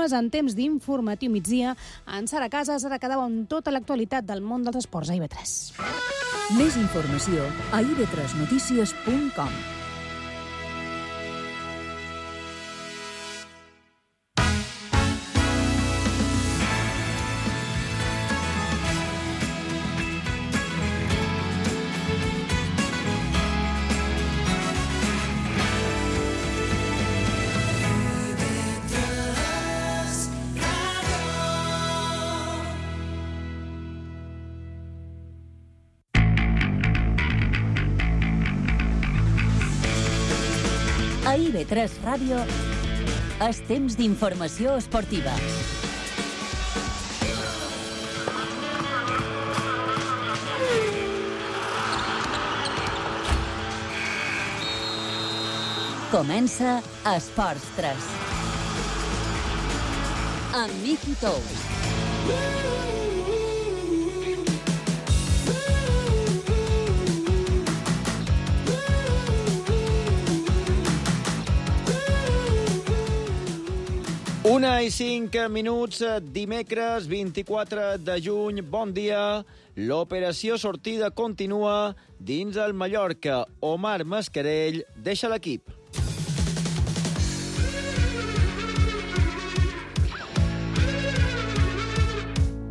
continues en temps d'informatiu migdia. En Sara Casas ara quedava amb tota l'actualitat del món dels esports a IB3. Més informació a ib3notícies.com. A IB3 Ràdio, és temps d'informació esportiva. Comença Esports 3. Amb Miki Tous. Una i 5 minuts, dimecres 24 de juny. Bon dia. L'operació sortida continua dins el Mallorca. Omar Mascarell deixa l'equip.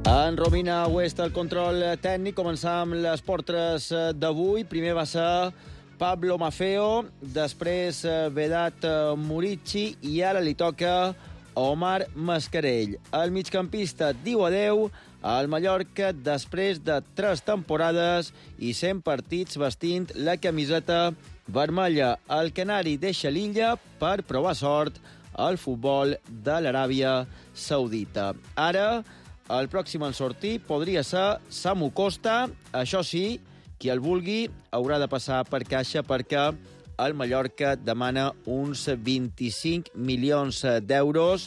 En Romina West, el control tècnic. Començam les portres d'avui. Primer va ser Pablo Maffeo, després Vedat Murici i ara li toca Omar Mascarell. El migcampista diu adeu al Mallorca després de 3 temporades i 100 partits vestint la camiseta vermella. El canari deixa l'illa per provar sort al futbol de l'Aràbia Saudita. Ara, el pròxim en sortir podria ser Samu Costa. Això sí, qui el vulgui haurà de passar per caixa perquè el Mallorca demana uns 25 milions d'euros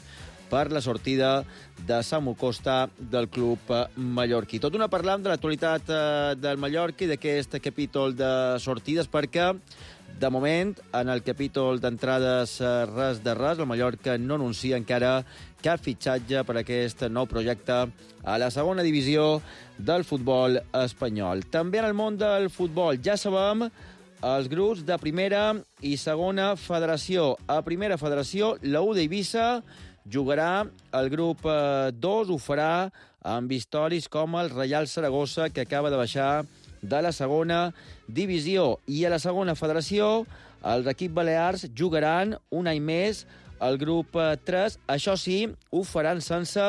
per la sortida de Samu Costa del club mallorquí. Tot una parlant de l'actualitat del Mallorca i d'aquest capítol de sortides perquè, de moment, en el capítol d'entrades res de res, el Mallorca no anuncia encara cap fitxatge per aquest nou projecte a la segona divisió del futbol espanyol. També en el món del futbol ja sabem els grups de primera i segona federació. A primera federació, la U d'Eivissa jugarà el grup 2, ho farà amb històrics com el Reial Saragossa, que acaba de baixar de la segona divisió. I a la segona federació, els equips balears jugaran un any més el grup 3. Això sí, ho faran sense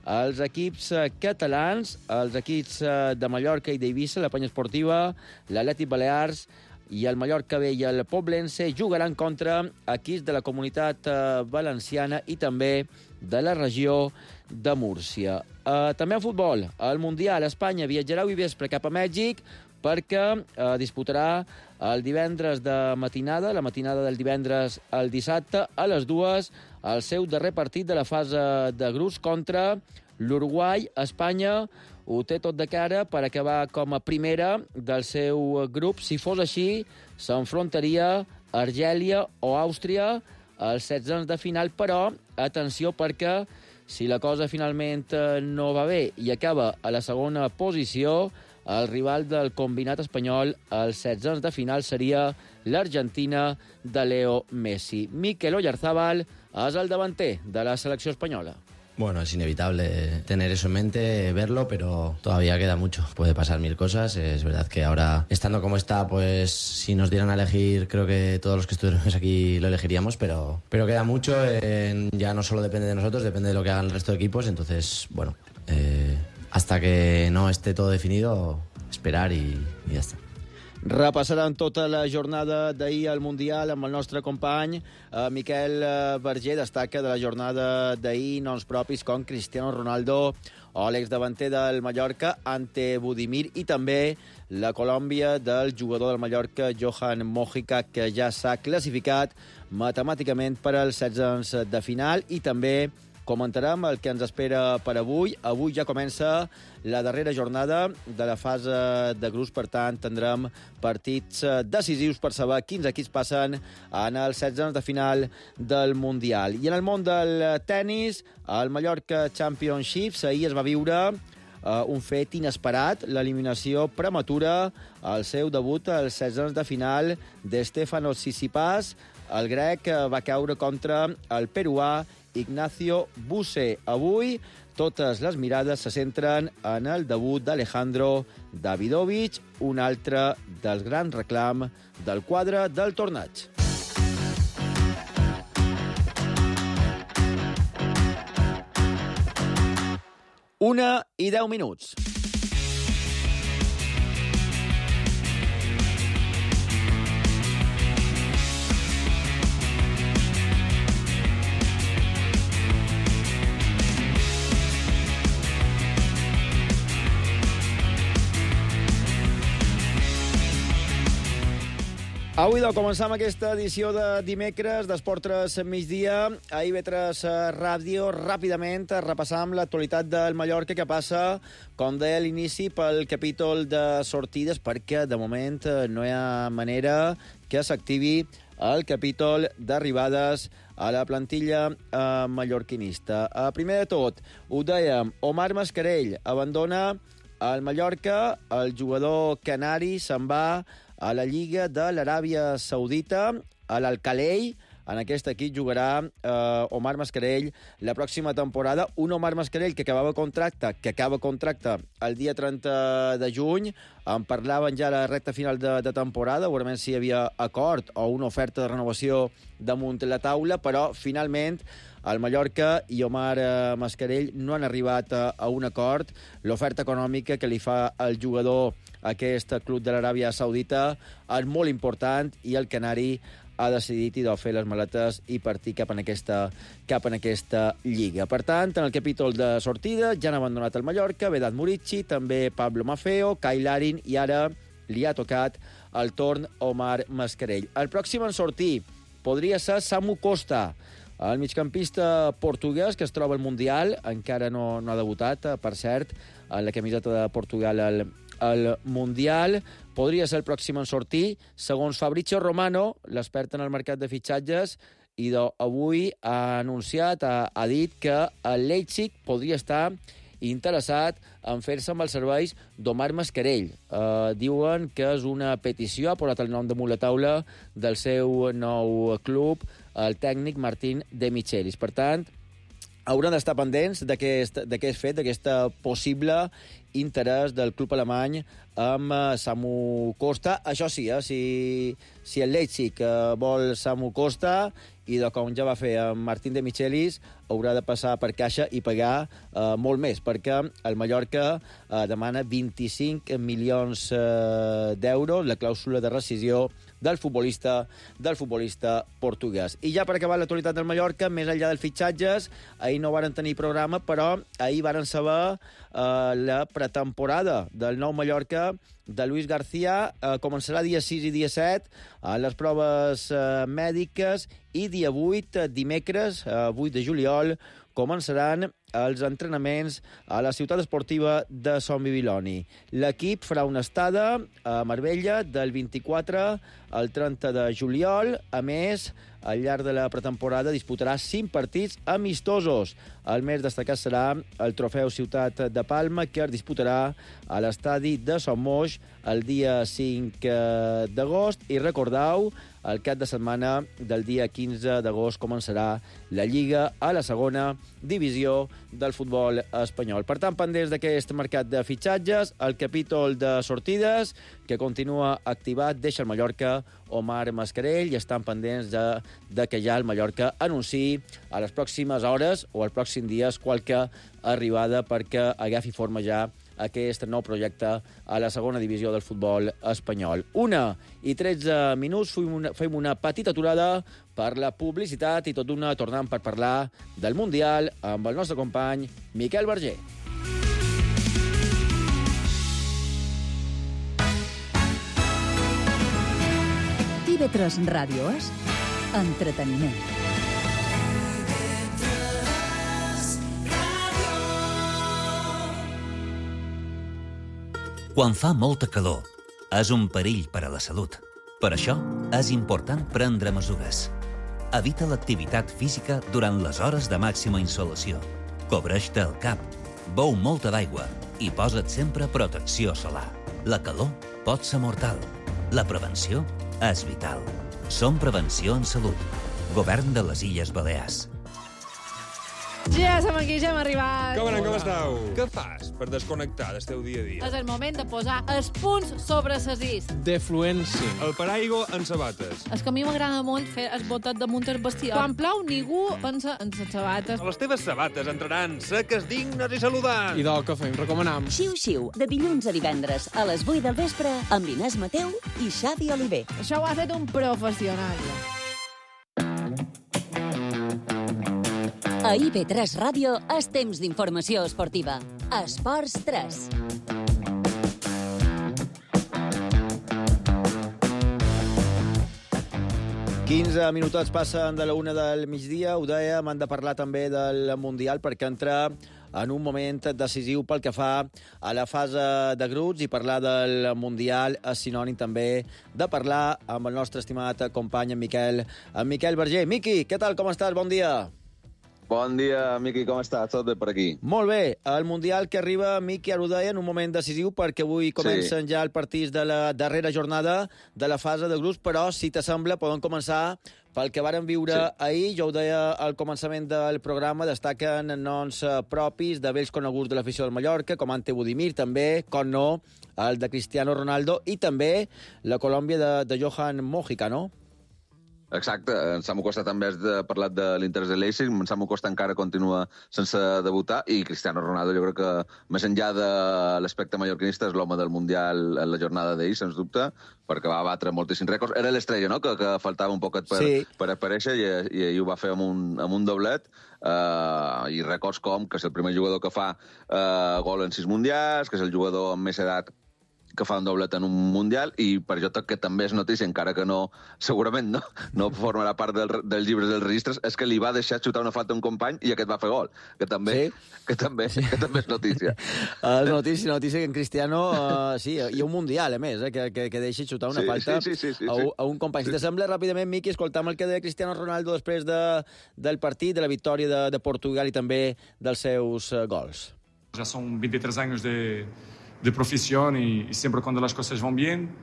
els equips catalans, els equips de Mallorca i d'Eivissa, la Penya Esportiva, l'Atlètic Balears i el Mallorca B i el Poblense jugaran contra equips de la Comunitat Valenciana i també de la regió de Múrcia. També en futbol, al Mundial, Espanya viatjarà avui vespre cap a Mèxic perquè disputarà el divendres de matinada, la matinada del divendres al dissabte, a les 2, el seu darrer partit de la fase de grups contra l'Uruguai. Espanya ho té tot de cara per acabar com a primera del seu grup. Si fos així, s'enfrontaria Argèlia o Àustria als 16 de final, però atenció perquè si la cosa finalment no va bé i acaba a la segona posició, el rival del combinat espanyol als 16 de final seria l'Argentina de Leo Messi. Mikel Oyarzabal és el davanter de la selecció espanyola. Bueno, es inevitable tener eso en mente, verlo, pero todavía queda mucho. Puede pasar mil cosas. Es verdad que ahora, estando como está, pues si nos dieran a elegir, creo que todos los que estuviéramos aquí lo elegiríamos, pero queda mucho. Ya no solo depende de nosotros, depende de lo que hagan el resto de equipos. Entonces, bueno, hasta que no esté todo definido, esperar y ya está. Repassaran tota la jornada d'ahir al Mundial amb el nostre company Miquel Verger. Destaca de la jornada d'ahir noms propis com Cristiano Ronaldo o l'exdavanter del Mallorca ante Budimir i també la Colòmbia del jugador del Mallorca Johan Mojica, que ja s'ha classificat matemàticament per als 16 de final, i també comentarem el que ens espera per avui. Avui ja comença la darrera jornada de la fase de grups, per tant, tindrem partits decisius per saber quins equips passen en els 16 de final del Mundial. I en el món del tennis, el Mallorca Championship, ahir es va viure un fet inesperat, l'eliminació prematura al seu debut als 16 de final d'Stefanos Tsitsipas. El grec va caure contra el peruà Ignacio Buse. Avui totes les mirades se centren en el debut d'Alejandro Davidovich, un altre dels grans reclams del quadre del torneig. Una i 10 minuts. Avui començam aquesta edició de dimecres d'Esport 3 migdia a IB3 Ràdio. Ràpidament repassam l'actualitat del Mallorca, que passa, com deia a l'inici, pel capítol de sortides, perquè de moment no hi ha manera que s'activi el capítol d'arribades a la plantilla mallorquinista. Primer de tot, ho dèiem, Omar Mascarell abandona el Mallorca, el jugador canari se'n va a la Lliga de l'Aràbia Saudita, a l'Al-Khalei. En aquest equip jugarà Omar Mascarell la pròxima temporada. Un Omar Mascarell que acaba contracte el dia 30 de juny. En parlaven ja a la recta final de temporada, veurem si hi havia acord o una oferta de renovació damunt la taula, però finalment el Mallorca i Omar Mascarell no han arribat a un acord. L'oferta econòmica que li fa el jugador a aquest club de l'Aràbia Saudita és molt important i el canari ha decidit fer les maletes i partir cap en aquesta lliga. Per tant, en el capítol de sortida ja han abandonat el Mallorca, Vedat Murici, també Pablo Maffeo, Kyle Larin, i ara li ha tocat el torn Omar Mascarell. El pròxim en sortir podria ser Samu Costa, el migcampista portuguès que es troba al Mundial, encara no ha debutat, per cert, en la camiseta de Portugal al Mundial. Podria ser el pròxim en sortir. Segons Fabrizio Romano, l'expert en el mercat de fitxatges, i avui ha anunciat, ha dit que el Leipzig podria estar interessat en fer-se amb els serveis d'Omar Mascarell. Diuen que és una petició, ha posat el nom damunt la taula del seu nou club, el tècnic Martín de Michelis. Per tant, hauran d'estar pendents d'aquest fet, d'aquest possible interès del club alemany amb Samu Costa. Això sí, si el Leipzig vol Samu Costa, i com ja va fer amb Martín de Michelis, haurà de passar per caixa i pagar molt més, perquè el Mallorca demana 25 milions d'euros, la clàusula de rescisió del futbolista portuguès. I ja per acabar l'actualitat del Mallorca, més enllà dels fitxatges, ahir no varen tenir programa, però ahir varen saber la pretemporada del nou Mallorca de Luis García. Començarà dia 6 i dia 7 a les proves mèdiques, i dia 8, dimecres, 8 de juliol, començaran els entrenaments a la ciutat esportiva de Son Bibiloni. L'equip farà una estada a Marbella del 24 al 30 de juliol. A més, al llarg de la pretemporada disputarà 5 partits amistosos. El més destacat serà el trofeu Ciutat de Palma, que es disputarà a l'estadi de Son Moix el dia 5 d'agost. I recordeu, el cap de setmana del dia 15 d'agost començarà la Lliga a la segona divisió del futbol espanyol. Per tant, pendents d'aquest mercat de fitxatges, el capítol de sortides, que continua activat, deixa el Mallorca Omar Mascarell, i estan pendents de que ja el Mallorca anunciï a les pròximes hores o als pròxims dies qualque arribada perquè agafi forma ja aquest nou projecte a la segona divisió del futbol espanyol. 1:13 minuts, fem una petita aturada per la publicitat i tot d'una tornant per parlar del Mundial amb el nostre company Miquel Verger. IB3 Ràdio és entreteniment. Quan fa molta calor, és un perill per a la salut. Per això, és important prendre mesures. Evita l'activitat física durant les hores de màxima insolació. Cobreix-te el cap, beu molta d'aigua i posa't sempre protecció solar. La calor pot ser mortal. La prevenció és vital. Som Prevenció en Salut. Govern de les Illes Balears. Ja som aquí, ja hem arribat. Com anem, com esteu? Què fas per desconnectar del teu dia a dia? És el moment de posar els punts sobre les is. Defluència. El paraigua en sabates. És que a mi m'agrada molt fer el botet damunt el vestidor. Quan plou, ningú pensa en les sabates. Les teves sabates entraran seques, dignes i saludants. I del que fem, recomanam. Xiu-xiu, de dilluns a divendres a les 8 del vespre amb Inés Mateu i Xavi Oliver. Això ho ha fet un professional. A IB3 Ràdio és temps d'informació esportiva. Esports 3. «15 minuts passen de la 1 del migdia». Ho dèiem, hem de parlar també del Mundial perquè entra en un moment decisiu pel que fa a la fase de grups, i parlar del Mundial és sinònim també de parlar amb el nostre estimat company, en Miquel Berger. Miqui, què tal, com estàs? Bon dia. Bon dia, Miqui, com estàs? Tot bé per aquí? Molt bé. El Mundial que arriba, Miqui, ara ho deia, en un moment decisiu perquè avui comencen ja els partits de la darrera jornada de la fase de grups, però, si t'assembla, podem començar pel que varen viure ahir. Jo ho deia al començament del programa, destaquen noms propis de vells coneguts de l'afició del Mallorca, com Ante Budimir, també, com no, el de Cristiano Ronaldo, i també la Colòmbia de Johan Mojica, no? Exacte. En Samu Costa també has parlat de l'Inter de Leipzig. En Samu Costa encara continua sense debutar, i Cristiano Ronaldo, jo crec que, més enllà de l'aspecte mallorquinista, és l'home del Mundial en la jornada d'ahir, sens dubte, perquè va batre moltíssims rècords. Era l'estrella, no?, que faltava un poquet per aparèixer, i ahir ho va fer amb un doblet, i rècords com que és el primer jugador que fa gol en 6 mundials, que és el jugador amb més edat que fa un doblet en un Mundial, i per això que també és notícia, encara que no, segurament no formarà part dels llibres dels registres, és que li va deixar xutar una falta a un company i aquest va fer gol, que també és notícia. És notícia que en Cristiano, i un Mundial, a més, que deixi xutar una falta a un company. Si t'assembla, ràpidament, Miqui, escoltam el que deia Cristiano Ronaldo després del partit, de la victòria de Portugal i també dels seus gols. Ja són 23 anys de profesión y siempre cuando las cosas van bien,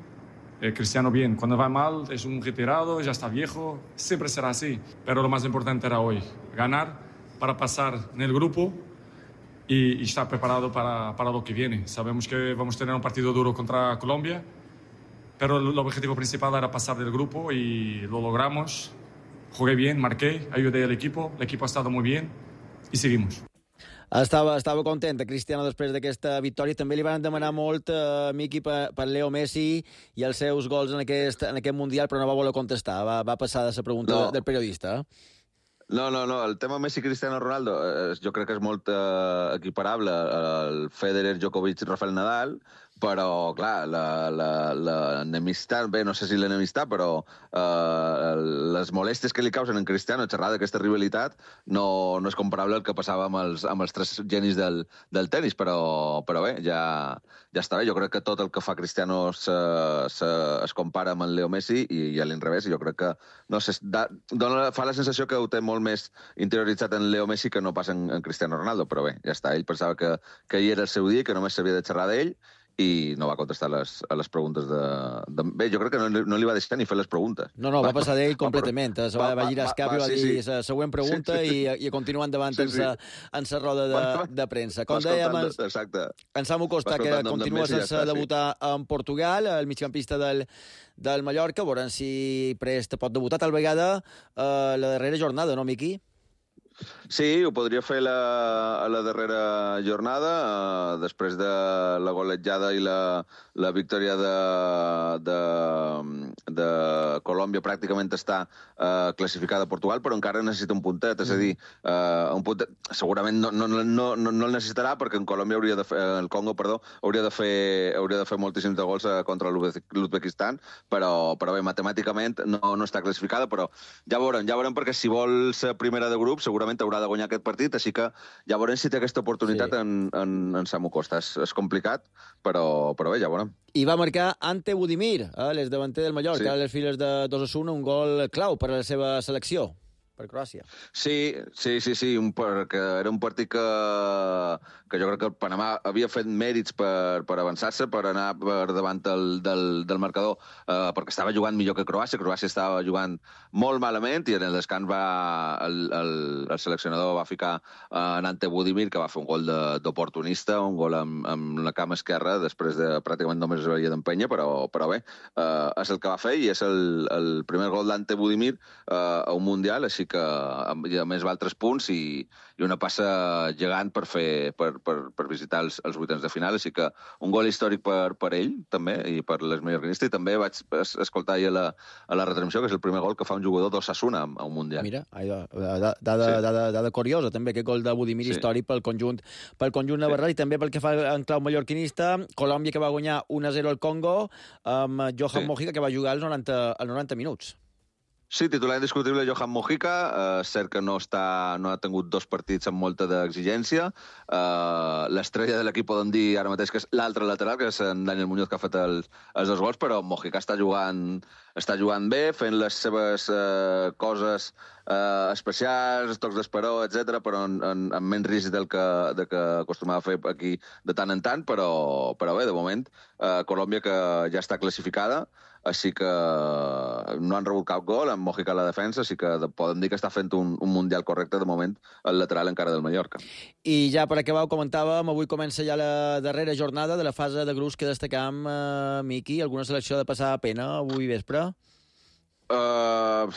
Cristiano bien. Cuando va mal es un retirado, ya está viejo, siempre será así. Pero lo más importante era hoy, ganar para pasar en el grupo y estar preparado para lo que viene. Sabemos que vamos a tener un partido duro contra Colombia, pero el objetivo principal era pasar del grupo y lo logramos. Jugué bien, marqué, ayudé al equipo, el equipo ha estado muy bien y seguimos. Estava content, Cristiano, després d'aquesta victòria. També li van demanar molt, Miqui, per Leo Messi i els seus gols en aquest Mundial, però no va voler contestar. Va passar de la pregunta del periodista. No, el tema Messi-Cristiano Ronaldo jo crec que és molt equiparable al Federer, Djokovic, Rafael Nadal, però, clar, l'enemistat, bé, no sé si l'enemistat, però les molèsties que li causen en Cristiano xerrar d'aquesta rivalitat no és comparable al que passava amb els tres genis del tenis, però bé, ja està bé. Jo crec que tot el que fa Cristiano es compara amb el Leo Messi, i a l'inrevés. Jo crec que, no sé, fa la sensació que ho té molt més interioritzat en Leo Messi que no pas en Cristiano Ronaldo, però bé, ja està. Ell pensava que ahir era el seu dia, que només s'havia de xerrar d'ell, i no va contestar a les preguntes Bé, jo crec que no li va deixar ni fer les preguntes. No, va passar d'ell completament. Va girar el cap i va dir la següent pregunta i continua endavant en la roda de premsa. Com dèiem, en Samu Costa, que continua sense debutar en Portugal, el migcampista del Mallorca. Veurem si prest pot debutar tal vegada la darrera jornada, no, Miqui? Sí, ho podria fer a la darrera jornada, després de la golejada i la victòria de Colòmbia. Pràcticament està classificada a Portugal, però encara necessita un puntet, és a dir, un puntet. Segurament no el necessitarà, perquè en Colòmbia el Congo hauria de fer moltíssims de gols contra l'Uzbekistan, però bé, matemàticament no està classificada, però ja veurem, perquè si vol ser primera de grup, segurament segurament haurà de guanyar aquest partit, així que ja veurem si té aquesta oportunitat en Samu Costa. És complicat, però bé, ja veurem. I va marcar Ante Budimir, l'exdavanter del Mallorca, a les files d'Osasuna, un gol clau per a la seva selecció, per Croàcia. Sí, perquè era un partit que jo crec que el Panamà havia fet mèrits per avançar-se, per anar per davant del marcador, perquè estava jugant millor que Croàcia. Croàcia estava jugant molt malament i en el descans el seleccionador va ficar en Ante Budimir, que va fer un gol d'oportunista, un gol amb la cama esquerra, després de pràcticament només es veia d'empenya, però bé, és el que va fer i és el primer gol d'Ante Budimir a un Mundial, així que a més val 3 punts i una passa gegant per visitar els vuitens de final, així que un gol històric per ell, també, i per l'esmallorquinista, i també vaig escoltar ahir a la retransmissió que és el primer gol que fa un jugador d'Osasuna a un Mundial. Mira, dada curiosa, també, aquest gol de Budimir històric pel conjunt navarrà, i també pel que fa en clau mallorquinista, Colòmbia, que va guanyar 1-0 al Congo, amb Johan Mojica, que va jugar als 90 minuts. Sí, titular indiscutible Johan Mojica. És cert que no ha tingut 2 partits amb molta d'exigència. L'estrella de l'equip podem dir ara mateix que és l'altre lateral, que és en Daniel Muñoz, que ha fet els 2 gols, però Mojica està jugant bé, fent les seves coses especials, tocs d'esperó, etc., però amb menys risc del que acostumava a fer aquí de tant en tant, però bé, de moment, Colòmbia, que ja està classificada, així que no han rebut cap gol, amb Mojica a la defensa, així que podem dir que està fent un Mundial correcte, de moment, el lateral encara del Mallorca. I ja per acabar, ho comentàvem, avui comença ja la darrera jornada de la fase de grups que destacam, Miqui. Alguna selecció ha de passar pena avui vespre? A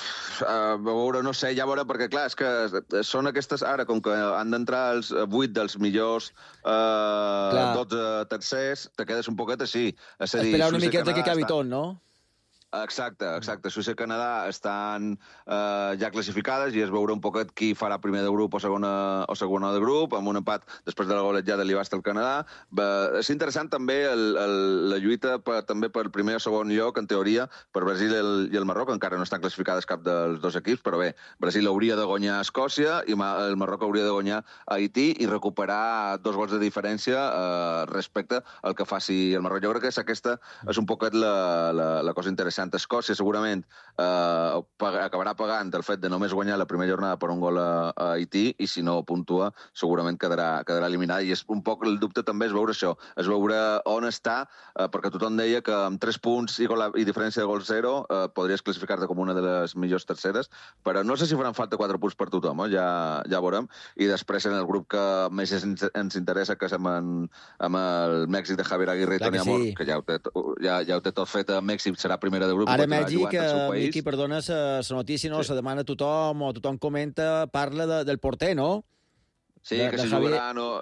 veure, no sé, ja veure, perquè clar, és que són aquestes, ara, com que han d'entrar els 8 dels millors 12 tercers, te quedes un poquet així. Esperar una miqueta que acabi tot, no? Exacte. Suïssa i Canadà estan ja classificades i es veurà un poquet qui farà primer de grup o segona de grup, amb un empat després de la golejada li va estar el Canadà. És interessant també la lluita també per primer o segon lloc, en teoria, per Brasil i el Marroc. Encara no estan classificades cap dels 2 equips, però bé, Brasil hauria de guanyar a Escòcia i el Marroc hauria de guanyar a Haití i recuperar 2 gols de diferència respecte al que faci el Marroc. Jo crec que aquesta és un poquet la cosa interessant. Escòcia segurament acabarà pagant el fet de només guanyar la primera jornada per un gol a Haití, i si no puntua segurament quedarà eliminada, i és un poc el dubte també, és veure això, és veure on està, perquè tothom deia que amb 3 punts i diferència de gol 0 podries classificar-te com una de les millors terceres, però no sé si faran falta 4 punts per tothom, ja veurem. I després en el grup que més ens interessa, que és amb el Mèxic de Javier Aguirre i Toni Amor, que ja ho té tot fet a Mèxic, serà primera de grup. Ara Mèxic, Miqui, perdona, la notícia, no? Se demana a tothom, o tothom comenta, parla del porter, no? Sí, que si jugarà no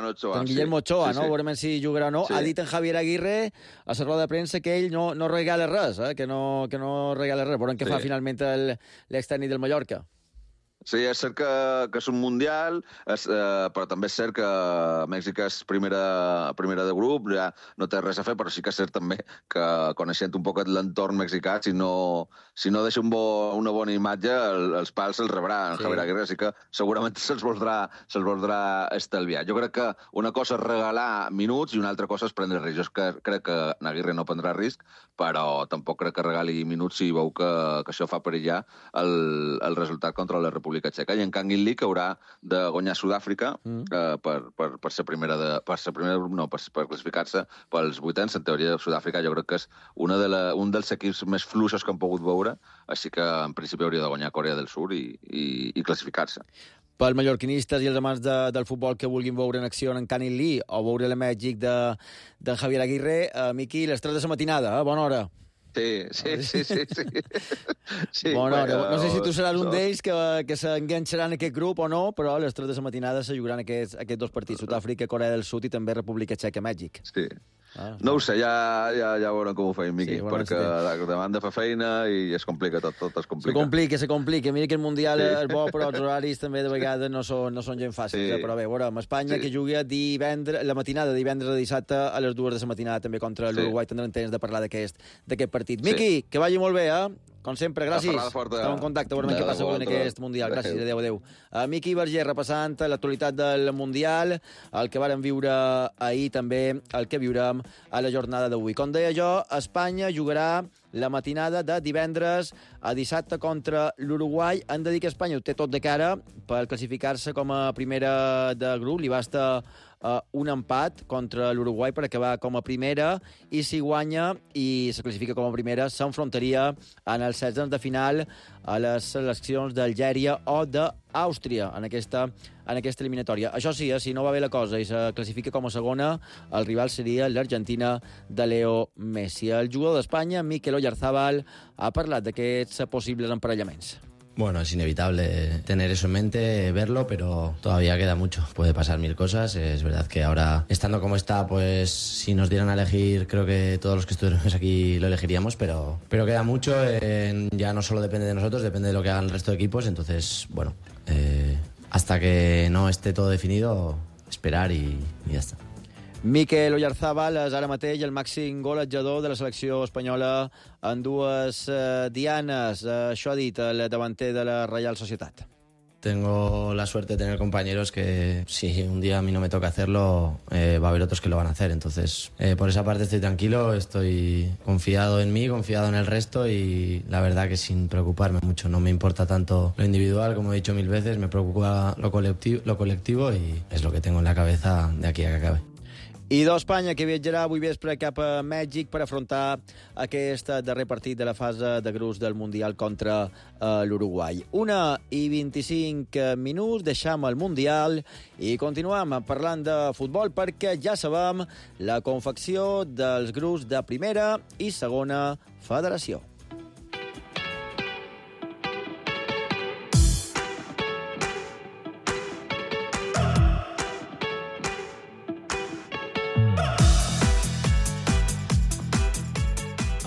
Ochoa. En Guillermo Ochoa, no? Veurem si jugarà o no. Ha dit en Javier Aguirre a la roda de premsa que ell no regala res, que no regala res. Veurem què fa finalment l'extècnic del Mallorca. Sí, és cert que és un Mundial, però també és cert que Mèxic és primera de grup, ja no té res a fer, però sí que és cert també que, coneixent un poquet l'entorn mexicà, si no deixa una bona imatge, els pals se'ls rebrà en Javier Aguirre, així que segurament se'ls voldrà estalviar. Jo crec que una cosa és regalar minuts i una altra cosa és prendre risc. Jo crec que Aguirre no prendrà risc, però tampoc crec que regali minuts si veu que això fa perillar el resultat contra la República Txeca. I en canvi el League haurà de guanyar Sud-àfrica per ser primera de grup, no, per classificar-se pels vuitens. En teoria, Sud-àfrica jo crec que és un dels equips més fluixos que han pogut veure, així que en principi hauria de guanyar Corea del Sur i classificar-se. Pels mallorquinistes i els amants del futbol que vulguin veure en acció en Canning Lee o veure el Mèxic de Javier Aguirre, Miqui, les 3 de la matinada, bona hora. Sí. Bona hora. No sé si tu seràs un d'ells que s'enganxarà en aquest grup o no, però a les 3 de la matinada se jugaran aquests 2 partits, Sud-àfrica, Corea del Sud i també República Txeca, Mèxic. Sí. No ho sé, ja veurem com ho feim, Miqui, perquè demanda fa feina i es complica, tot es complica. Se complica. Mira que el Mundial és bo, però els horaris també de vegades no són gens fàcils. Però bé, veurem, Espanya que jugui la matinada de divendres a dissabte a les 2 de la matinada també contra l'Uruguai. Tindrem temps de parlar d'aquest partit. Miqui, que vagi molt bé, Com sempre, gràcies. Estem en contacte, veurem què passa en aquest Mundial. Gràcies, adéu. Miqui Verger, repassant l'actualitat del Mundial, el que vàrem viure ahir també, el que viurem a la jornada d'avui. Com deia jo, Espanya jugarà la matinada de divendres a dissabte contra l'Uruguai. Han de dir que Espanya ho té tot de cara per classificar-se com a primera de grup. Li basta un empat contra l'Uruguai per acabar com a primera, i si guanya i se classifica com a primera s'enfrontaria en els 16 de final a les seleccions d'Algèria o d'Àustria en aquesta eliminatòria. Això sí, si no va bé la cosa i se classifica com a segona, el rival seria l'Argentina de Leo Messi. El jugador d'Espanya, Mikel Oyarzabal, ha parlat d'aquests possibles emparellaments. Bueno, es inevitable tener eso en mente, verlo, pero todavía queda mucho. Puede pasar mil cosas. Es verdad que ahora, estando como está, pues si nos dieran a elegir, creo que todos los que estuviéramos aquí lo elegiríamos, pero queda mucho. Ya no solo depende de nosotros, depende de lo que hagan el resto de equipos. Entonces, bueno, hasta que no esté todo definido, esperar y ya está. Mikel Oyarzabal és ara mateix el màxim golejador de la selecció espanyola en dues dianes. Això ha dit el davanter de la Reial Societat. Tengo la suerte de tener compañeros que si un día a mí no me toca hacerlo, va a haber otros que lo van a hacer. Entonces, por esa parte estoy tranquilo, estoy confiado en mí, confiado en el resto y la verdad que sin preocuparme mucho. No me importa tanto lo individual, como he dicho mil veces, me preocupa lo colectivo y es lo que tengo en la cabeza de aquí a que acabe. I d'Espanya, que viatjarà avui vespre cap a Mèxic per afrontar aquest darrer partit de la fase de grups del Mundial contra l'Uruguai. 1:25, deixam el Mundial i continuem parlant de futbol perquè ja sabem la confecció dels grups de primera i segona federació.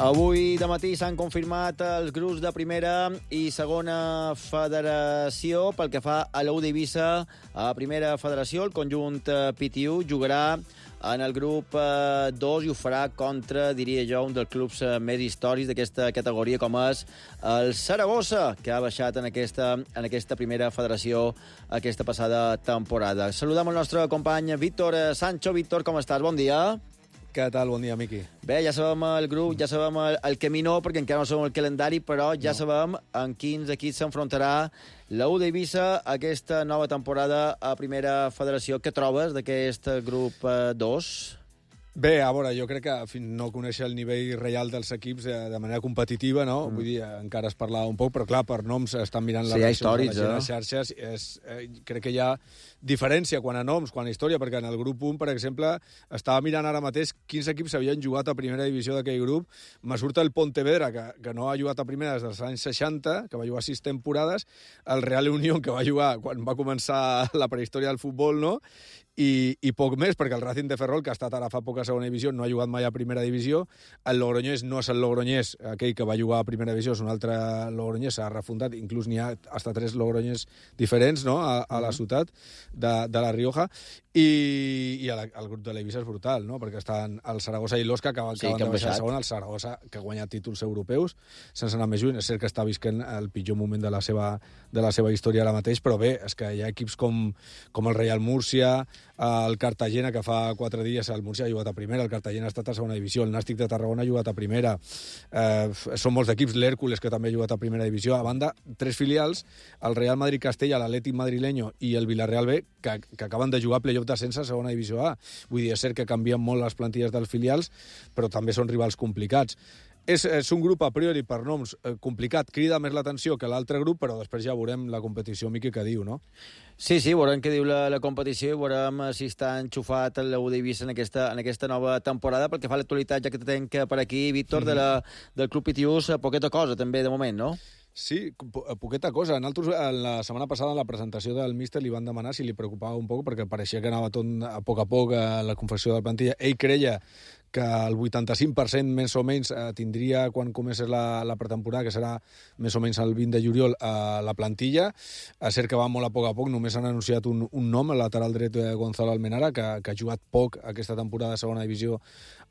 Avui de matí s'han confirmat els grups de primera i segona federació. Pel que fa a l'U d'Eivissa, a primera federació, el conjunt PTU jugarà en el grup 2 i ho farà contra, diria jo, un dels clubs més històrics d'aquesta categoria, com és el Saragossa, que ha baixat en aquesta primera federació aquesta passada temporada. Saludem el nostre company Víctor Sancho. Víctor, com estàs? Bon dia. Què tal? Bon dia, Miqui. Bé, ja sabem el grup, ja sabem el caminó, perquè encara no sabem el calendari, però ja sabem en quins equips s'enfrontarà la U d'Eivissa aquesta nova temporada a primera federació. Què trobes d'aquest grup 2? Bé, a veure, jo crec que fins no conèixer el nivell real dels equips de manera competitiva, no? Vull dir, encara es parlava un poc, però clar, per noms estan mirant les reaccions de les xarxes. Crec que hi ha diferència quan a noms, quan a història, perquè en el grup 1, per exemple, estava mirant ara mateix quins equips havien jugat a primera divisió d'aquell grup. Me surt el Pontevedra, que no ha jugat a primera des dels anys 60, que va jugar 6 temporades, el Real Unión, que va jugar quan va començar la prehistòria del futbol, no? I poc més, perquè el Racing de Ferrol, que ha estat ara fa poc a segona divisió, no ha jugat mai a primera divisió. El Logroñés no és el Logroñés, aquell que va jugar a primera divisió, és un altre Logroñés, s'ha refundat, inclús n'hi ha hasta 3 Logroñés diferents, no?, a la ciutat de La Rioja. I el grup de l'Eivissa és brutal, no?, perquè estan el Saragossa i l'Osca, que acaben de baixar a segona, el Saragossa, que ha guanyat títols europeus, sense anar més lluny. És cert que està visquent el pitjor moment de la seva història ara mateix, però bé, és que hi ha equips com el Real Múrcia, el Cartagena, que fa 4 dies el Múrcia ha jugat a primera, el Cartagena ha estat a segona divisió, el Nàstic de Tarragona ha jugat a primera, són molts d'equips, l'Hèrcules, que també ha jugat a primera divisió, a banda, 3 filials, el Real Madrid-Castella, l'Atlètic Madrileño i el Villarreal B, que acaben de jugar a playoff d'ascens a segona divisió A. Vull dir, és cert que canvien molt les plantilles dels filials, però també són rivals complicats. És un grup a priori per noms complicat, crida més l'atenció que l'altre grup, però després ja veurem la competició, Miqui, que diu, no? Sí, veurem què diu la competició i veurem si està enxufat el U d'Eivissa en aquesta nova temporada. Pel que fa a l'actualitat, ja que te tenc per aquí, Víctor, del Club Pitiús, poqueta cosa també de moment, no? Sí, poqueta cosa. La setmana passada, en la presentació del míster, li van demanar si li preocupava un poc, perquè pareixia que anava tot a poc a la confecció de la plantilla. Ell creia que el 85% més o menys tindria quan comencés la pretemporada, que serà més o menys el 20 de juliol, la plantilla. És cert que va molt a poc, només han anunciat un nom, el lateral dret Gonzalo Almenara, que ha jugat poc aquesta temporada de segona divisió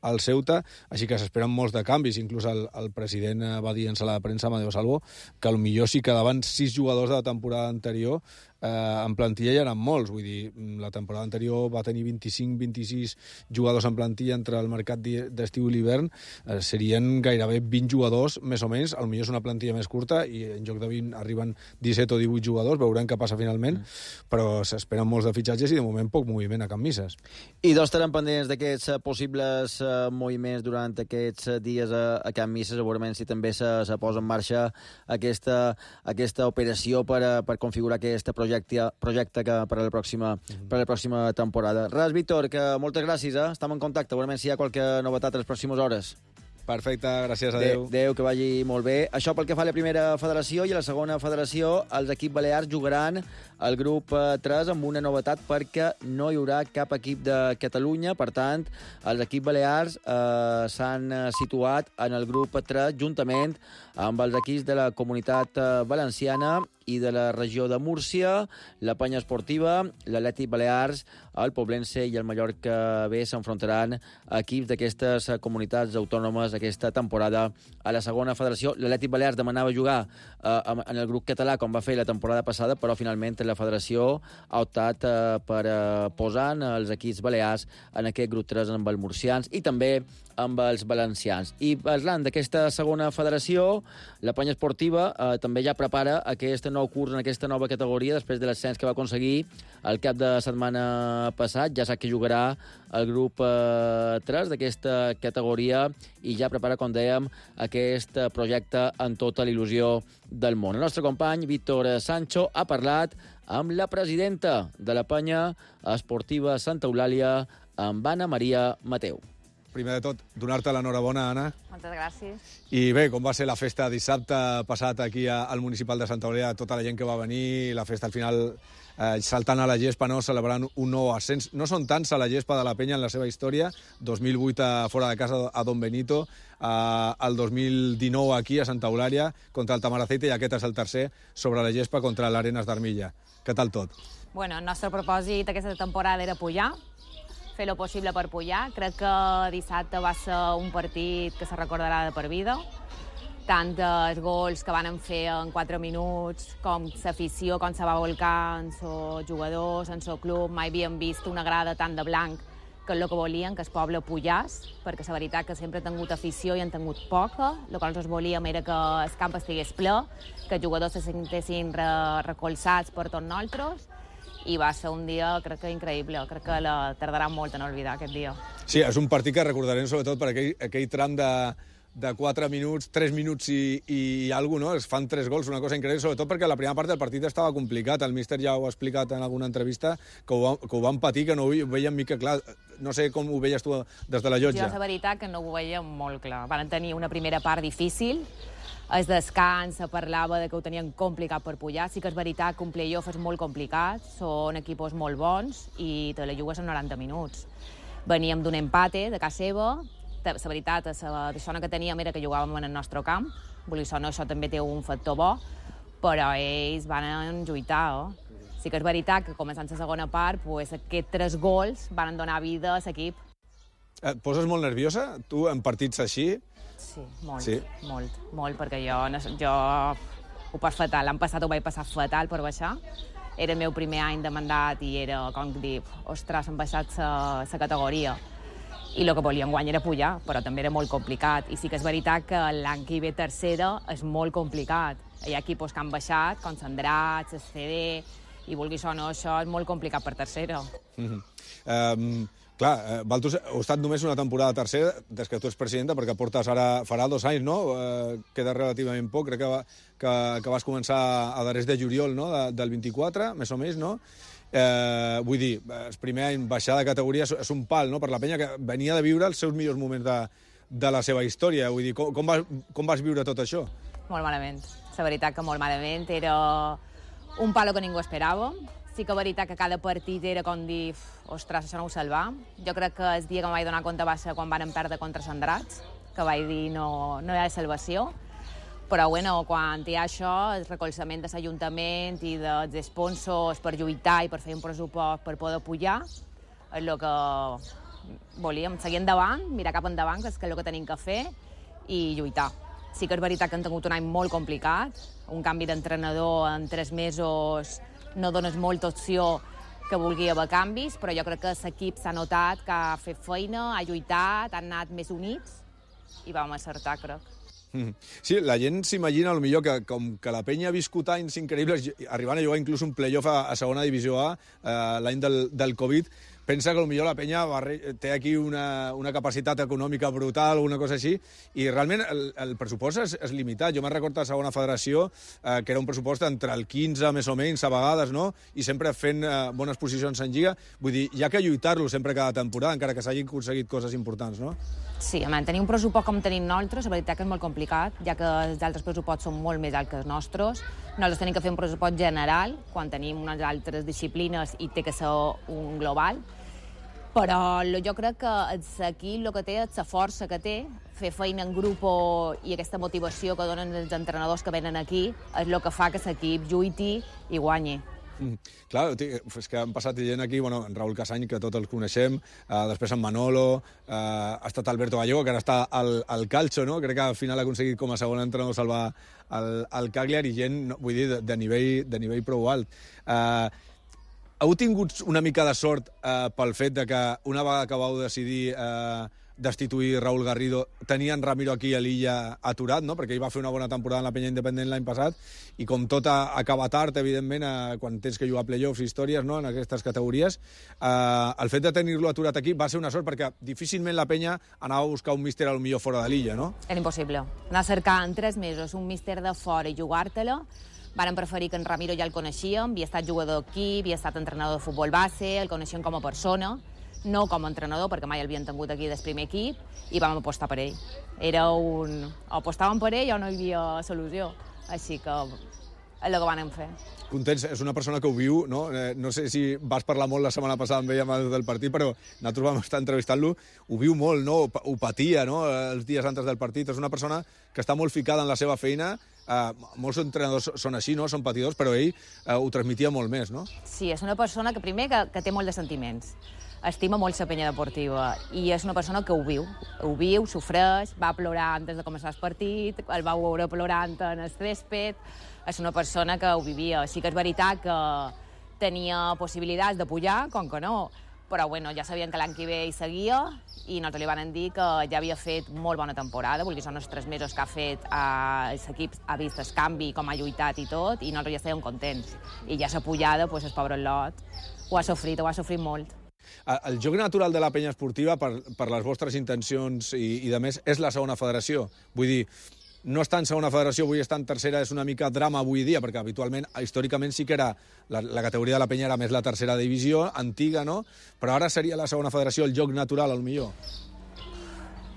al Ceuta, així que s'esperen molts de canvis. Inclús el president va dir en sala de premsa, Amadeo Salvo, que potser si quedaven 6 jugadors de la temporada anterior en plantilla ja eren molts. Vull dir, la temporada anterior va tenir 25-26 jugadors en plantilla entre el mercat d'estiu i l'hivern. Serien gairebé 20 jugadors, més o menys. Potser és una plantilla més curta i en lloc de 20 arriben 17 o 18 jugadors. Veurem què passa finalment, però s'esperen molts de fitxatges i de moment poc moviment a Can Misses. I dos estaran pendents d'aquests possibles moviments durant aquests dies a Can Misses, segurament si també se posa en marxa aquesta operació per configurar aquest projecte que per a la pròxima temporada. Res, Víctor, que moltes gràcies, estem en contacte, segurament si hi ha qualque novetat a les pròximes hores. Perfecte, gràcies, adeu. Adeu, que vagi molt bé. Això pel que fa a la primera federació, i a la segona federació els equips balears jugaran el grup 3 amb una novetat, perquè no hi haurà cap equip de Catalunya. Per tant, els equips balears s'han situat en el grup 3 juntament amb els equips de la Comunitat Valenciana i de la regió de Múrcia, la Penya Esportiva, l'Atlètic Balears, el Poblense i el Mallorca B s'enfrontaran a equips d'aquestes comunitats autònomes aquesta temporada a la segona federació. L'Atlètic Balears demanava jugar en el grup català, com va fer la temporada passada, però finalment la federació ha optat per posar els equips balears en aquest grup 3 amb els murcians i també amb els valencians. I parlant d'aquesta segona federació, la Penya Esportiva també ja prepara aquest nou curs en aquesta nova categoria després de l'ascens que va aconseguir el cap de setmana passat. Ja sap que jugarà el grup 3 d'aquesta categoria i ja prepara, com dèiem, aquest projecte amb tota l'il·lusió del món. El nostre company, Víctor Sancho, ha parlat amb la presidenta de la Penya Esportiva Santa Eulàlia, amb Anna Maria Mateu. Primer de tot, donar-te l'enhorabona, Anna. Moltes gràcies. I bé, com va ser la festa dissabte passat aquí al Municipal de Santa Eulàlia, tota la gent que va venir, la festa al final saltant a la gespa, no? Celebrant un nou ascens. No són tants a la gespa de la Penya en la seva història. 2008 fora de casa a Don Benito, el 2019 aquí a Santa Eulàlia contra el Tamaraceite i aquest és el tercer sobre la gespa contra l'Arenas d'Armilla. Què tal tot? Bueno, el nostre propòsit aquesta temporada era pujar, fer lo possible per pujar. Crec que dissabte va ser un partit que se recordarà de per vida. Tant els gols que van fer en 4 minuts, com l'afició, com se va volcar en els jugadors, en el club. Mai havíem vist una grada tan de blanc, que és el que volien, que el poble pujàs, perquè la veritat que sempre ha tingut afició i han tingut poca. El que nosaltres volíem era que el camp estigués ple, que els jugadors se sentessin recolzats per tots nosaltres, i va ser un dia, crec que increïble. Crec que tardarà molt en oblidar aquest dia. Sí, és un partit que recordarem sobretot per aquell tram de 4 minuts, 3 minuts i alguna cosa, no? Es fan 3 gols, una cosa increïble, sobretot perquè la primera part del partit estava complicat. El míster ja ho ha explicat en alguna entrevista, que ho van patir, que no ho veien mica clar. No sé com ho veies tu des de la llotja. Jo, la veritat, que no ho veia molt clar. Van tenir una primera part difícil, el descans se parlava de que ho tenien complicat per pujar. Sí que és veritat que un play-off és molt complicat, són equipos molt bons i te la jugues en 90 minuts. Veníem d'un empate de casa seva. La veritat, la zona que teníem era que jugàvem en el nostre camp. Això també té un factor bo, però ells van lluitar. Sí que és veritat que començant la segona part, aquests 3 gols van donar vida a l'equip. Et poses molt nerviosa, tu, en partits així? Sí, molt, perquè jo ho pas fatal. L'any passat ho vaig passar fatal per baixar. Era el meu primer any de mandat i era com dir, ostres, hem baixat la categoria. I el que volíem guanyar era pujar, però també era molt complicat. I sí que és veritat que l'any que hi ve tercera és molt complicat. Hi ha equips que han baixat, com Sandrats, el CD, i vulguis o no, això és molt complicat per tercera. Clar, Valtus, heu estat només una temporada tercera, des que tu ets presidenta, perquè portes ara, farà 2 anys, no? Queda relativament poc, crec que vas començar a darrers de juliol, no? Del 24, més o menys, no? Vull dir, el primer any baixar de categoria és un pal, no?, per la Penya, que venia de viure els seus millors moments de la seva història. Vull dir, com vas viure tot això? Molt malament. La veritat que molt malament. Era un palo que ningú esperava. Sí que és veritat que cada partit era com dir, ostres, això no ho salva. Jo crec que el dia que em vaig donar compte va ser quan van perdre contra Sandrats, que vaig dir no hi ha salvació. Però bueno, quan hi ha això, el recolzament de l'Ajuntament i dels sponsors per lluitar i per fer un pressupost per poder pujar, és el que volíem, seguir endavant, mirar cap endavant, que és el que tenim que fer, i lluitar. Sí que és veritat que han tingut un any molt complicat, un canvi d'entrenador en 3 mesos no dones molta opció que vulgui haver canvis, però jo crec que l'equip s'ha notat que ha fet feina, ha lluitat, han anat més units i vam acertar, crec. Sí, la gent s'imagina potser que com que la penya ha viscut anys increïbles, arribant a jugar inclús un playoff a segona divisió A, l'any del Covid, pensa que potser la penya té aquí una capacitat econòmica brutal o una cosa així, i realment el pressupost és limitat. Jo me'n recordo a segona federació, que era un pressupost entre el 15 més o menys a vegades, no? I sempre fent bones posicions en Lliga. Vull dir, hi ha que lluitar-lo sempre cada temporada, encara que s'hagin aconseguit coses importants, no? Sí, home, tenir un pressupost com tenim nosaltres, la veritat que és molt complicat, ja que els altres pressuposts són molt més alts que els nostres. Nosaltres tenim que fer un pressupost general, quan tenim unes altres disciplines i té que ser un global. Però jo crec que aquí el que té és la força que té, fer feina en grup i aquesta motivació que donen els entrenadors que venen aquí és el que fa que l'equip lluiti i guanyi. Clar, és que han passat gent aquí, en Raül Casany, que tots els coneixem, després en Manolo, ha estat Alberto Gallego, que ara està al Calcio, no? Crec que al final ha aconseguit com a segon entrenador salvar el Cagliari, i gent, vull dir, de nivell prou alt. Heu tingut una mica de sort pel fet de que una vegada que vau decidir destituir Raúl Garrido, tenien Ramiro aquí a l'illa aturat, no? Perquè ell va fer una bona temporada en la penya independent l'any passat, i com tot acaba tard, evidentment, quan tens que jugar a playoffs i històries, no?, en aquestes categories, el fet de tenir-lo aturat aquí va ser una sort, perquè difícilment la penya anava a buscar un míster al millor fora de l'illa, no? Era impossible. Anar a cercar en 3 mesos un míster de fora i jugar-te-la. Varen preferir que en Ramiro ja el coneixíem, havia estat jugador aquí, havia estat entrenador de futbol base, el coneixíem com a persona, no com a entrenador, perquè mai l'havien tingut aquí del primer equip, i vam apostar per ell. O apostàvem per ell o no hi havia solució. Així que és el que vam fer. Contents, és una persona que ho viu, no? No sé si vas parlar molt la setmana passada amb ell abans del partit, però nosaltres vam estar entrevistant-lo, ho viu molt, no? Ho patia, no?, els dies antes del partit. És una persona que està molt ficada en la seva feina. Molts entrenadors són així, no?, són patidors, però ell ho transmetia molt més, no? Sí, és una persona que primer que té molt de sentiments. Estima molt la penya deportiva i és una persona que ho viu, sofreix, va plorar antes de començar el partit, el va veure plorant en el césped, és una persona que ho vivia. Sí que és veritat que tenia possibilitats de pujar, com que no, però bueno, ja sabien que l'any que ve hi seguia i nosaltres li van dir que ja havia fet molt bona temporada, vull dir, són els 3 mesos que ha fet l'equip, ha vist el canvi, com ha lluitat i tot, i nosaltres ja estàvem contents. I ja s'ha pujada, doncs el pobre Lot ho ha sofrit molt. El joc natural de la penya esportiva, per les vostres intencions i de més, és la segona federació. Vull dir, no estar en segona federació, avui estar en tercera, és una mica drama avui dia, perquè habitualment, històricament, sí que era la categoria de la penya era més la tercera divisió, antiga, no? Però ara seria la segona federació el joc natural, potser.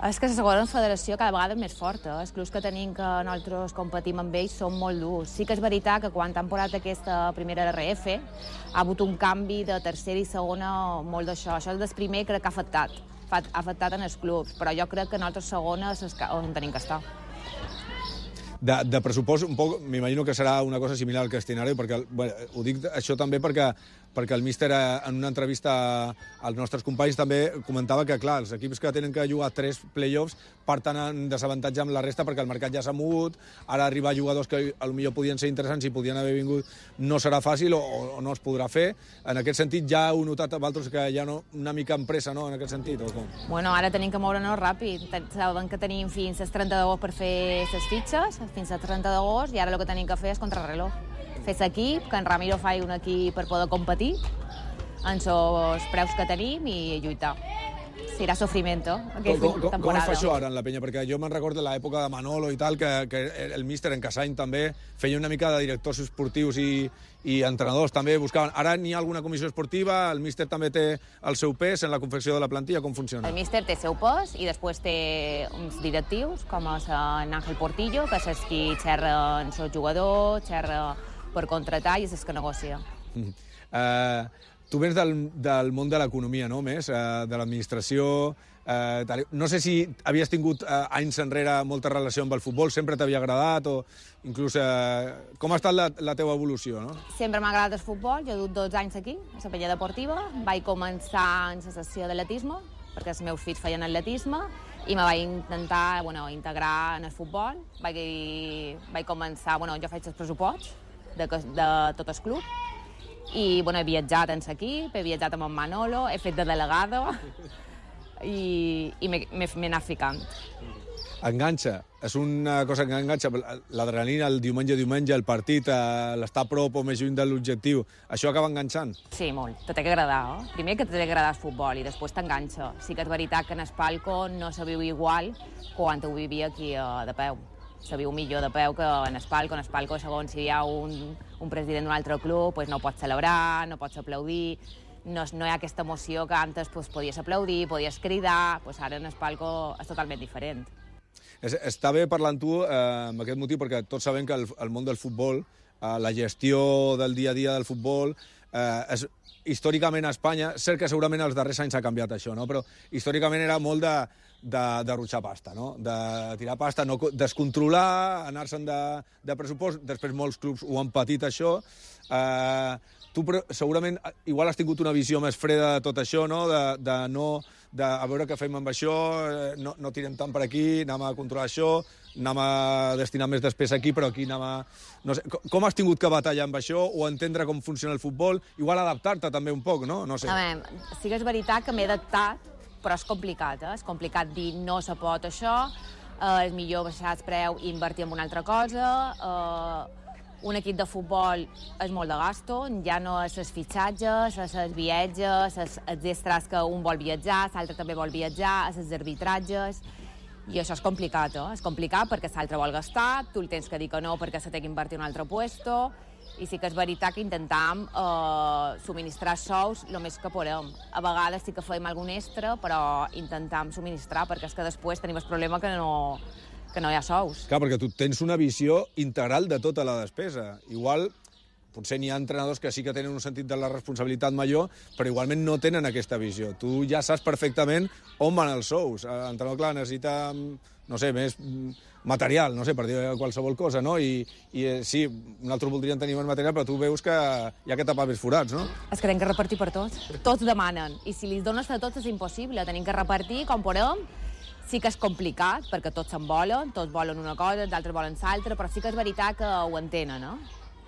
És que la segona federació cada vegada és més forta. Els clubs que tenim que nosaltres competim amb ells són molt durs. Sí que és veritat que quan han posat aquesta primera RF ha hagut un canvi de tercera i segona molt d'això. Això és el primer crec que ha afectat en els clubs, però jo crec que nosaltres segona és on tenim que estar. De pressupost, un poc, m'imagino que serà una cosa similar al Castellonari, perquè ho dic això també perquè el míster en una entrevista als nostres companys també comentava que, clar, els equips que tenen que jugar 3 playoffs parten en desavantatge amb la resta perquè el mercat ja s'ha mogut, ara arribar jugadors que potser podien ser interessants i podien haver vingut no serà fàcil o no es podrà fer. En aquest sentit ja heu notat a vosaltres que hi ha una mica empresa, no?, en aquest sentit, o com? Bueno, ara tenim que moure'ns ràpid. Saben que tenim fins al 30 d'agost per fer les fitxes, fins al 30 d'agost, i ara el que tenim que fer és contrarreloj. Fer l'equip, que en Ramiro faci un equip per poder competir amb els preus que tenim i lluitar. Serà sofriment, aquesta temporada. Com es fa això ara en la penya? Perquè jo me'n recordo de l'època de Manolo i tal, que el míster en Casany també feia una mica de directors esportius i entrenadors també buscaven. Ara n'hi ha alguna comissió esportiva, el míster també té el seu pes en la confecció de la plantilla, com funciona? El míster té el seu pes i després té uns directius, com és en Ángel Portillo, que és qui xerra amb el jugador, xerra per contratar i és el que negocia. Tu vens del món de l'economia, no? Més, de l'administració. No sé si havies tingut anys enrere molta relació amb el futbol, sempre t'havia agradat, o inclús com ha estat la teva evolució, no? Sempre m'ha agradat el futbol, jo he dut 12 anys aquí, a la Pella Deportiva, vaig començar en la sessió d'atletisme, perquè els meus fills feien atletisme, i me vaig intentar integrar en el futbol. Vaig començar, jo faig els pressuposts de tot el club, i he viatjat en l'equip, he viatjat amb en Manolo, he fet de delegada, i m'he anat ficant. Enganxa, és una cosa que enganxa, l'adrenalina, el diumenge, el partit, l'estar a prop o més lluny de l'objectiu, això acaba enganxant? Sí, molt, te té que agradar, Primer que te té que agradar el futbol i després t'enganxa. Sí que és veritat que en el palco no se viu igual quan ho vivia aquí de peu. Se viu millor de peu que en el palco. En el palco, segons si hi ha un president d'un altre club, no pots celebrar, no pots aplaudir, no hi ha aquesta emoció que antes podies aplaudir, podies cridar, ara en el palco és totalment diferent. Està bé parlar amb tu amb aquest motiu, perquè tots sabem que el món del futbol, la gestió del dia a dia del futbol, històricament a Espanya, cert que segurament els darrers anys ha canviat això, no? Però històricament era molt de ruixar pasta, no? De tirar pasta, no descontrolar, anar-se'n de pressupost. Després molts clubs ho han patit, això. Tu segurament igual has tingut una visió més freda de tot això, no? De a veure què fem amb això, no tirem tant per aquí, anem a controlar això, anem a destinar més despesa aquí, però aquí anem a... No sé, com has tingut que batallar amb això, o entendre com funciona el futbol, igual adaptar-te també un poc, no? No sé. A veure, sí que és veritat que m'he adaptat, però és complicat, És complicat dir no se pot això, és millor baixar el preu i invertir en una altra cosa. Un equip de futbol és molt de gasto, ja no és els fitxatges, és els viatges, els extras que un vol viatjar, l'altre també vol viatjar, és els arbitratges, i això és complicat, És complicat perquè l'altre vol gastar, tu li tens que dir que no perquè se té que invertir en un altre puesto, i sí que és veritat que intentam subministrar sous el més que podem. A vegades sí que fem algun extra, però intentam subministrar, perquè és que després tenim el problema que no hi ha sous. Clar, perquè tu tens una visió integral de tota la despesa. Igual, potser n'hi ha entrenadors que sí que tenen un sentit de la responsabilitat major, però igualment no tenen aquesta visió. Tu ja saps perfectament on van els sous. L'entrenador, clar, necessita, no sé, més material, no sé, per dir qualsevol cosa, no? I sí, nosaltres voldríem tenir més material, però tu veus que hi ha que tapar més forats, no? És que tenim que repartir per tots. Tots demanen. I si li dones a tots és impossible. Tenim que repartir com podem. Sí que és complicat, perquè tots se'n volen, tots volen una cosa, els altres volen l'altra, però sí que és veritat que ho entenen, no?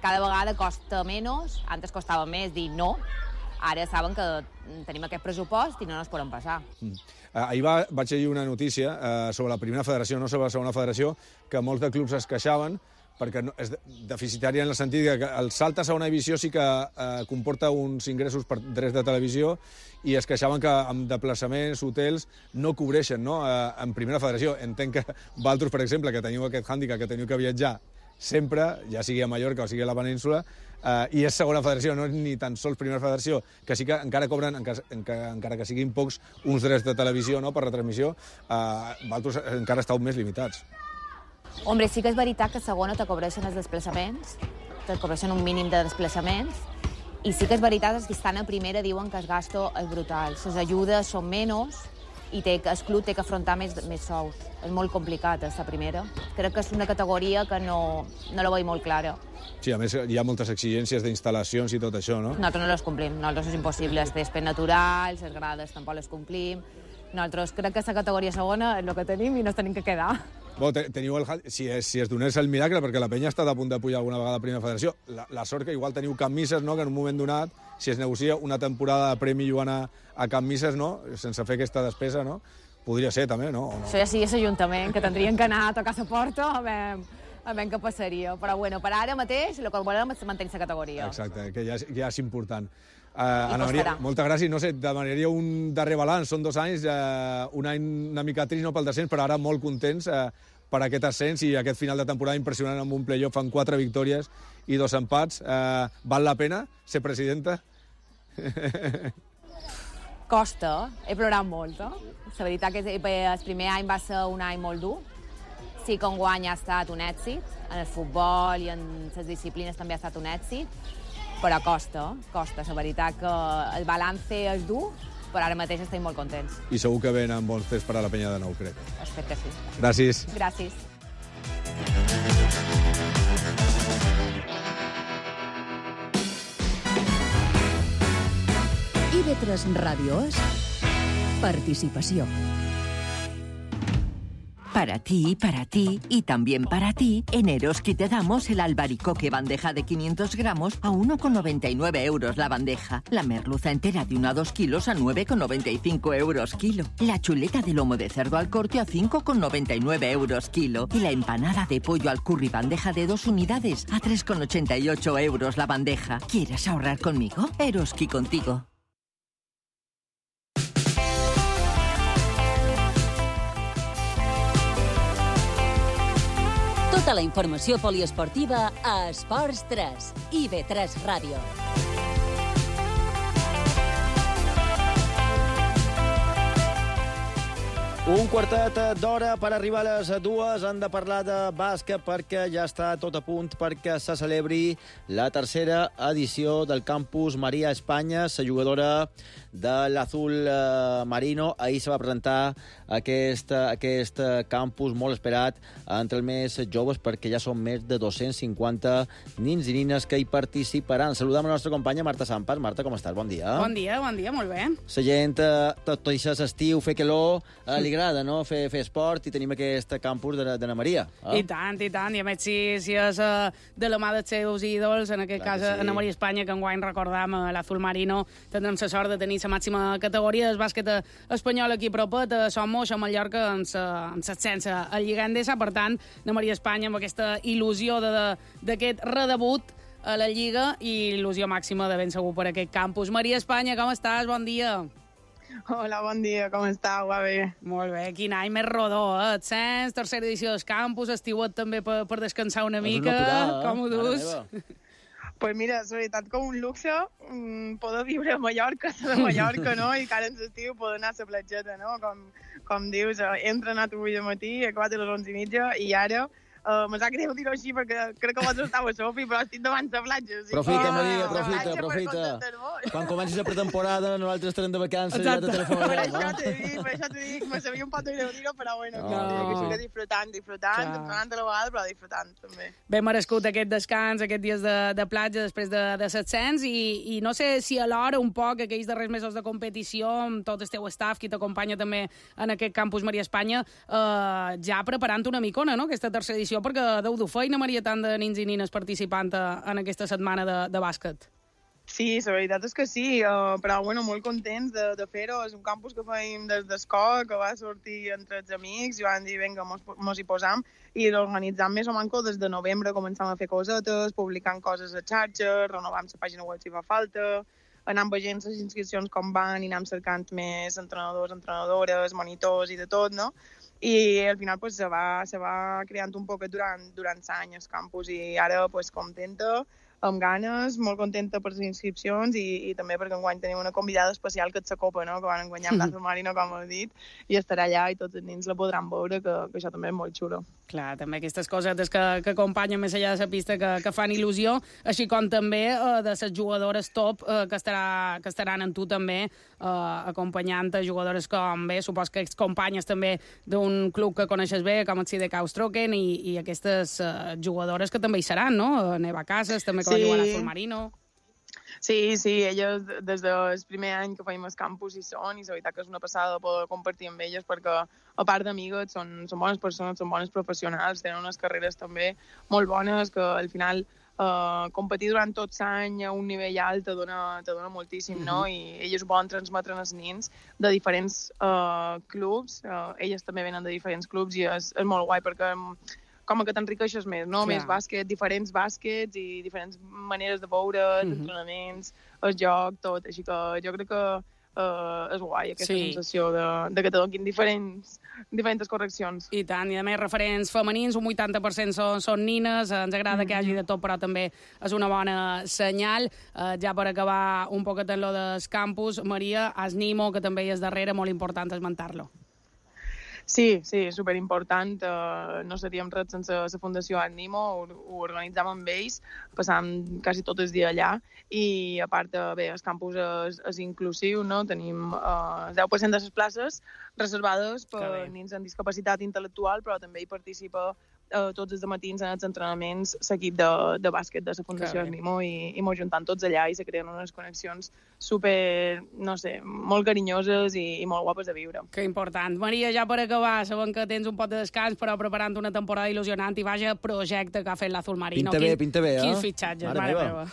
Cada vegada costa menys, antes costava més dir no, ara saben que tenim aquest pressupost i no ens podem passar. Ahir vaig llegir una notícia sobre la primera federació, no sobre la segona federació, que molts de clubs es queixaven perquè és deficitària en el sentit que el salt a segona divisió sí que comporta uns ingressos per drets de televisió i es queixaven que amb desplaçaments, hotels, no cobreixen, no? En primera federació. Entenc que vosaltres, per exemple, que teniu aquest hàndicap, que teniu que viatjar sempre, ja sigui a Mallorca o sigui a la península, i és segona federació, no és ni tan sols primera federació, que sí que encara cobren, encara que siguin pocs, uns drets de televisió, no?, per retransmissió, vosaltres encara esteu més limitats. Hombre, sí que és veritat que a segona te cobreixen els desplaçaments, te cobreixen un mínim de desplaçaments, i sí que és veritat que els que estan a primera diuen que el gasto és brutal. Les ajudes són menys i el club té que afrontar més sous. És molt complicat, aquesta primera. Crec que és una categoria que no la veig molt clara. Sí, a més hi ha moltes exigències d'instal·lacions i tot això, no? Nosaltres no les complim, nosaltres és impossible. Els césped naturals, les grades tampoc les complim. Nosaltres crec que aquesta categoria segona és el que tenim i no ens tenim que quedar. Teniu si es donés el miracle, perquè la penya ha estat a punt de pujar alguna vegada a primera federació, la sort que igual teniu Can Misses, no?, que en un moment donat, si es negocia una temporada de premi jugant a Can Misses, no?, sense fer aquesta despesa, no?, podria ser també, no? Això ja sí és l'Ajuntament, que tindrien que anar a tocar la porta a veure què passaria. Però bueno, per ara mateix el que volem és mantenir la categoria. Exacte, que ja és important. Ana Maria, moltes gràcies. No sé, demanaria un darrer balanç. Són 2 anys, un any una mica trist, no, pel descens, però ara molt contents per aquest ascens i aquest final de temporada impressionant amb un playoff amb 4 victòries i 2 empats. Val la pena ser presidenta? Costa, he plorat molt. La veritat que el primer any va ser un any molt dur. Sí que enguany ha estat un èxit, en el futbol i en les disciplines també ha estat un èxit, però costa. La veritat que el balance és dur, però ara mateix estem molt contents. I segur que venen bons fets per a la penya de nou, crec. Espero que sí. Gràcies. Gràcies. IB3 Ràdio és participació. Para ti y también para ti, en Eroski te damos el albaricoque bandeja de 500 gramos a 1,99 euros la bandeja. La merluza entera de 1 a 2 kilos a 9,95 euros kilo. La chuleta de lomo de cerdo al corte a 5,99 euros kilo. Y la empanada de pollo al curry bandeja de 2 unidades a 3,88 euros la bandeja. ¿Quieres ahorrar conmigo? Eroski contigo. Tota la informació poliesportiva a Esports 3, IB3 Ràdio. Un quartet d'hora per arribar a les 2. Han de parlar de bàsquet perquè ja està tot a punt perquè se celebri la tercera edició del Campus Maria Espanya. La jugadora de l'Azul Marino ahir se va presentar aquest campus molt esperat entre els més joves perquè ja són més de 250 nins i nines que hi participaran. Saludem la nostra companya Marta Sampas. Marta, com estàs? Bon dia. Bon dia, molt bé. La gent, tot això estiu, fer calor, li agrada, no?, fer esport, i tenim aquest campus d'Anna Maria. I tant. I a més, si és de la mà dels seus ídols, en aquest cas Anna Maria Espanya, que enguany recordam l'Azul Marino, tindrem la sort de tenir la màxima categoria del bàsquet espanyol aquí a propet, a Somos, a Mallorca, amb l'ascens al Lliga Endesa. Per tant, Anna Maria Espanya amb aquesta il·lusió d'aquest redebut a la Lliga i il·lusió màxima de ben segur per aquest campus. Maria Espanya, com estàs? Bon dia. Hola, bon dia, com estàu? Va bé. Molt bé, quin any més rodó, ascens, tercera edició del campus, estiuet també per descansar una mica. Com ho dus? Pues mira, és veritat com un luxe poder viure a Mallorca, de Mallorca, no? I que ara ens estiu poder anar a la platgeta, no? Com dius, he entrenat avui de matí, he acabat a les 11:30 i ara me sap greu dir-ho així perquè crec que vosaltres estàu a Sofi, però estic davant la platja. Profita, Maria, profita. Quan comencis la pretemporada, nosaltres estarem de vacances i ja te telefonarem. Per això t'ho dic, me sabia un pot de greu dir-ho, però bueno, que estic disfrutant, entrenant a la vegada, però disfrutant també. Ben merescut aquest descans, aquests dies de platja després de l'ascens, i no sé si alhora un poc aquells darrers mesos de competició, amb tot el teu staff, qui t'acompanya també en aquest campus Maria Espanya, ja preparant una micona, no?, aquesta tercera edició, perquè deu dur feina, Maria, tant de nins i nines participant en aquesta setmana de bàsquet. Sí, la veritat és que sí, però bueno, molt contents de fer-ho. És un campus que fèiem des d'escola, que va sortir entre els amics i van dir, vinga, mos hi posam, i l'organitzam més o manco des de novembre, començam a fer cosetes, publicant coses a xarxes, renovant la pàgina web si fa falta, anant veient les inscripcions com van i anant cercant més entrenadors, entrenadores, monitors i de tot, no? I al final pues, se va creant un poquet durant l'any el campus i ara pues, contenta, amb ganes, molt contenta per les inscripcions i també perquè enguany tenim una convidada especial que és la Copa, no?, que van guanyar amb l'Azul Marino, com heu dit, i estarà allà i tots els nens la podran veure, que això també és molt xulo. Clar, també aquestes cosetes que acompanyen més enllà de la pista que fan il·lusió, així com també de les jugadores top que estaran en tu també acompanyant jugadores com bé, supos que excompanyes també d'un club que coneixes bé, com el CDK Ostroken, i aquestes jugadores que també hi seran, no? Neva Casas, també que va jugar a l'Azul Marino. Sí, elles des del primer any que feim el campus hi són, i la veritat que és una passada poder compartir amb elles perquè, a part d'amigues, són bones persones, són bones professionals, tenen unes carreres també molt bones que al final competir durant tot l'any a un nivell alt te dona moltíssim, no? I elles ho poden transmetre als nens de diferents clubs, elles també venen de diferents clubs i és molt guai perquè com que t'enriqueixes més, no? Més bàsquet, diferents bàsquets i diferents maneres de veure, entrenaments, el joc, tot. Així que jo crec que és guai aquesta sensació de que te donin diferents correccions. I tant, i a més referents femenins, un 80% són nines, ens agrada que hi hagi de tot, però també és una bona senyal. Ja per acabar un poquet en lo del campus, Maria, Asnimo, que també hi és darrere, molt important esmentar-lo. Sí, superimportant. No seríem res sense la Fundació Ànimo, ho organitzàvem amb ells, passàvem quasi tot el dia allà, i a part, bé, el campus és inclusiu, no? Tenim 10% de les places reservades per nens amb discapacitat intel·lectual, però també hi participa tots els matins en els entrenaments l'equip de bàsquet de la Fundació Ànimo, i mos juntant tots allà i se creen unes connexions super, no sé, molt carinyoses i molt guapes de viure. Que important. Maria, ja per acabar, sabem que tens un pot de descans, però preparant una temporada il·lusionant i vaja projecte que ha fet l'Azul Marino. Pinta bé, Quins fitxatges, mare meva.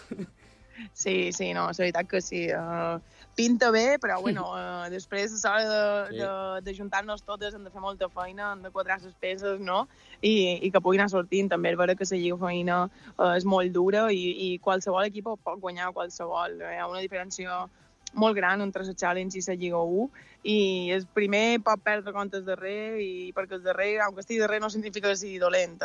Sí, no, la veritat que sí. Pinta bé, però bueno, després a l'hora de juntar-nos totes hem de fer molta feina, hem de quadrar les peces, no? I que puguin anar sortint. També és vera que la lliga feina és molt dura i qualsevol equip pot guanyar qualsevol. Hi ha una diferència molt gran entre la Challenge i la Lliga 1, i el primer pot perdre contra el darrer, i perquè el darrer, aunque estigui darrer, no significa que sigui dolent.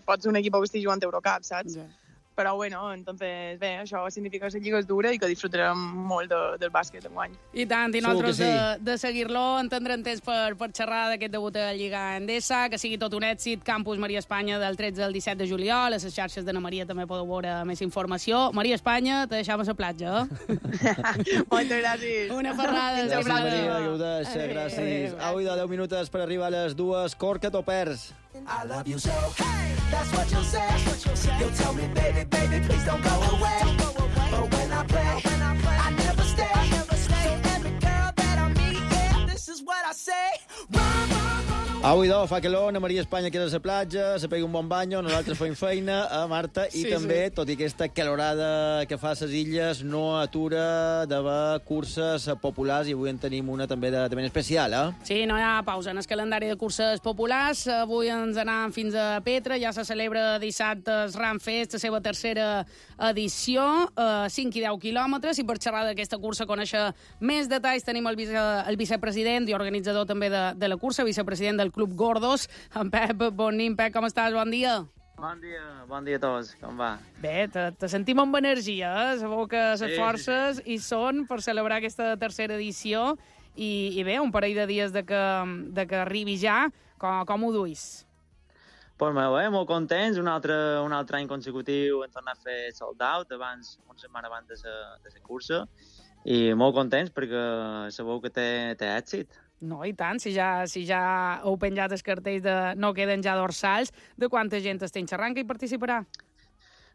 Pot ser un equip que estigui jugant Eurocup, saps? Yeah. Però bueno, entonces, bé, això significa que la lliga és dura i que disfrutarem molt del bàsquet enguany. I tant, i nosaltres de seguir-lo en tindrem temps per xerrar d'aquest debut a la Lliga Endesa, que sigui tot un èxit. Campus Maria Espanya del 13 al 17 de juliol, a les xarxes d'Anna Maria també podeu veure més informació. Maria Espanya, te deixam a la platja, Moltes gràcies. Una ferrada. Gràcies, Maria, que ho deixa, gràcies. Au, de 10 minuts per arribar a les 2, Corca o perds. I love you so, hey, that's what you'll say. You'll tell me, baby, please don't go away. But when I play, I never stay. So every girl that I meet, yeah, this is what I say. Avui, fa calor, Anna Maria Espanya queda a la platja, se pega un bon banyo, nosaltres fem feina a Marta, i també, tot i aquesta calorada que fa a les illes, no atura d'haver curses populars, i avui en tenim una també de ben especial, Sí, no hi ha pausa en el calendari de curses populars. Avui ens anàvem fins a Petra, ja se celebra dissabte el Ram Fest, la seva tercera edició, 5 i 10 quilòmetres, i per xerrar d'aquesta cursa, conèixer més detalls, tenim el vicepresident i organitzador també de la cursa, vicepresident del Club Gordos, en Pep Bonin. Pep, com estàs? Bon dia. Bon dia a tots, com va? Bé, te sentim amb energia, sabeu que les forces hi són per celebrar aquesta tercera edició, i bé, un parell de dies de que arribi ja, com ho duis? Pues bé, molt contents, un altre any consecutiu hem tornat a fer sold out, una setmana abans de la cursa, i molt contents perquè sabeu que té èxit. No, i tant, si ja heu penjat els cartells de no queden ja dorsals, de quanta gent estem xerrant que hi participarà?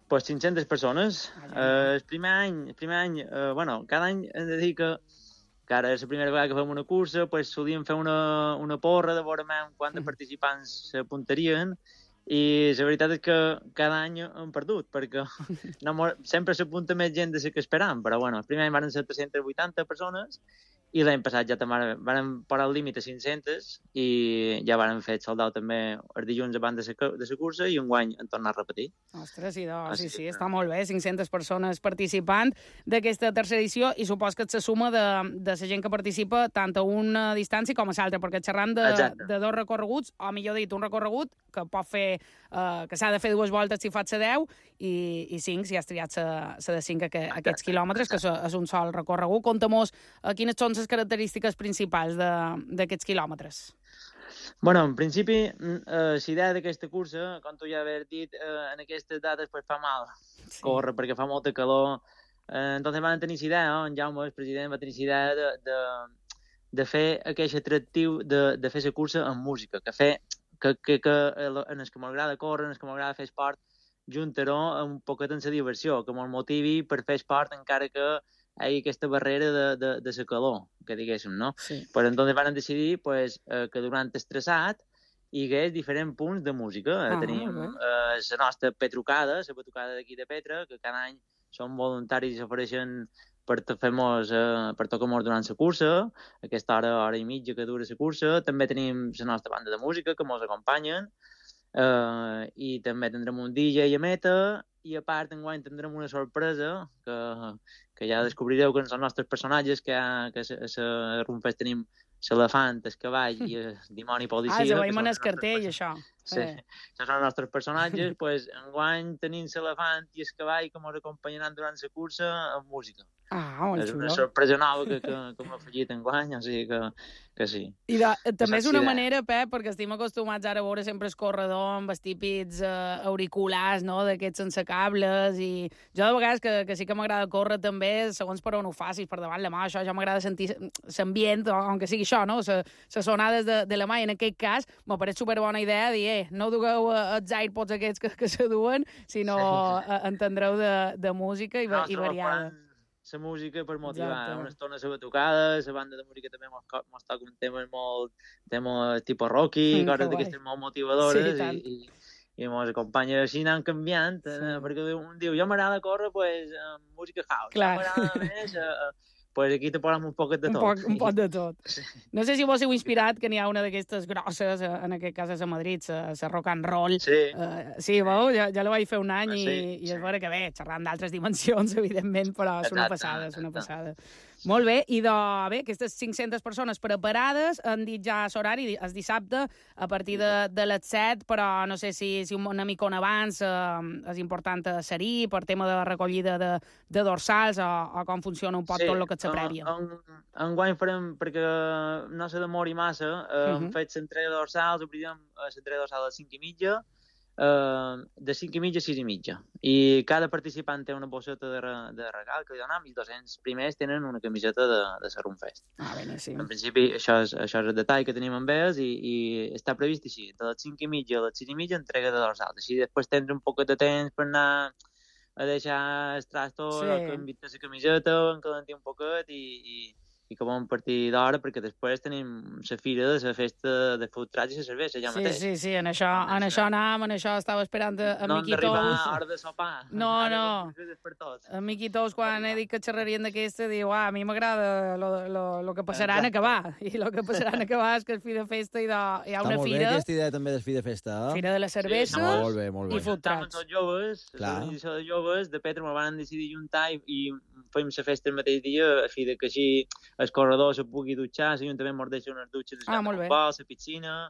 Pues 500 persones. El primer any, cada any hem de dir que ara és la primera vegada que fem una cursa, pues solíem fer una porra de veure quants participants s'apuntarien, i la veritat és que cada any hem perdut, perquè sempre s'apunta més gent de la que esperàvem, però bueno, el primer any van ser 380 persones, i l'any passat ja també vam parar el límit a 500 i ja vam fer sold out també els dilluns abans de la cursa, i enguany hem tornat a repetir. Ostres, sí, està molt bé, 500 persones participant d'aquesta tercera edició, i supos que se suma de la gent que participa tant a una distància com a l'altra, perquè xerrant de dos recorreguts, o millor dit, un recorregut que pot fer, que s'ha de fer 2 voltes si fas la 10, i 5 si has triat la de 5 aquests quilòmetres, que és un sol recorregut. Conta-mos quines són les característiques principals d'aquests quilòmetres. Bueno, en principi, la idea d'aquesta cursa, com tu ja haver dit, en aquestes dates fa mal córrer, perquè fa molta calor. Entonces van tenir la idea, en Jaume, el president, va tenir la idea de fer aquest atractiu de fer la cursa amb música, que en els que m'agrada córrer, en els que m'agrada fer esport, juntar-ho un poquet en la diversió, que me'l motivi per fer esport encara que hi hagi aquesta barrera de la calor, que diguéssim, no? Sí. Però entonces van decidir que durant el traçat hi hagués diferents punts de música. Tenim la nostra petrucada, la batucada d'aquí de Petra, que cada any són voluntaris i s'ofereixen per tocar-nos durant la cursa, aquesta hora i mitja que dura la cursa. També tenim la nostra banda de música que ens acompanyen, i també tindrem un DJ a meta, i a part enguany tindrem una sorpresa que ja descobrireu que són els nostres personatges, que a la Rumfest tenim l'elefant, el cavall i el dimoni policia. Ja veiem en el cartell, això. Sí, això són els nostres personatges. Enguany tenim l'elefant i el cavall que ens acompanyaran durant la cursa amb música. molt És xulo. una sorpresa nova que m'ha afegit enguany, o sigui que sí. I també és una manera, Pep, perquè estem acostumats ara a veure sempre el corredor amb els típics auriculars, no?, d'aquests sense cables, i jo de vegades que sí que m'agrada córrer també, segons per on ho facis, per davant la mà, això ja m'agrada sentir l'ambient, aunque sigui això, no?, les sonades de la mà, i en aquest cas m'ha pareix superbona idea dir, no dugueu els AirPods aquests que se duen, sinó entendreu de música i variada. La música per motivar. Una estona la batucada, la banda de música també mos toca un tema tipus Rocky, coses d'aquestes molt motivadores, i mos acompanya així anant canviant, perquè un diu, jo m'agrada córrer, pues, música house. Clar. M'agrada més, pues aquí te posem un poquet de tot. Un poc de tot. No sé si vos heu inspirat, que n'hi ha una d'aquestes grosses, en aquest cas a Madrid, la rock and roll. Sí, veu? Ja la vaig fer un any i és vera que bé, xerrant d'altres dimensions, evidentment, però és una passada. Molt bé, i bé, aquestes 500 persones preparades han dit ja l'horari, el dissabte, a partir de les 7, però no sé si una micona abans és important ser-hi per tema de recollida de dorsals o com funciona un poc tot el que és la prèvia. Enguany farem, perquè no se demori massa, hem fet l'entrega de dorsals, obrirem l'entrega de dorsals a les 5:30, de 5:30 a 6:30. I cada participant té una bosseta de regal que li donem, i els 200 primers tenen una camiseta de la Runfest. Sí. En principi, això és el detall que tenim amb ells, i està previst així, de les 5:30 a les 6:30 entrega de dorsals. Així després tens un poc de temps per anar a deixar el trasto, que invita la camiseta, encalentir un poquet i que bon partir d'hora, perquè després tenim la fira de la festa de food trucks i la cervesa ja mateix. Sí, en això anàvem, en això estava esperant a Miqui Tous. No hem d'arribar a hora de sopar. No. A Miqui Tous, quan he dit que xerrarien d'aquesta, diu, a mi m'agrada lo que passarà en acabar. I el que passarà en acabar és que és fi de festa i hi ha una fira... Està molt bé aquesta idea també de fi de festa. Fira de la cervesa i food trucks. Tots joves, l'organització de joves de Petra me van decidir juntar i fem la festa el mateix dia, a fi que així el corredor se pugui dutxar, l'Ajuntament mos deixa unes dutxes a la piscina,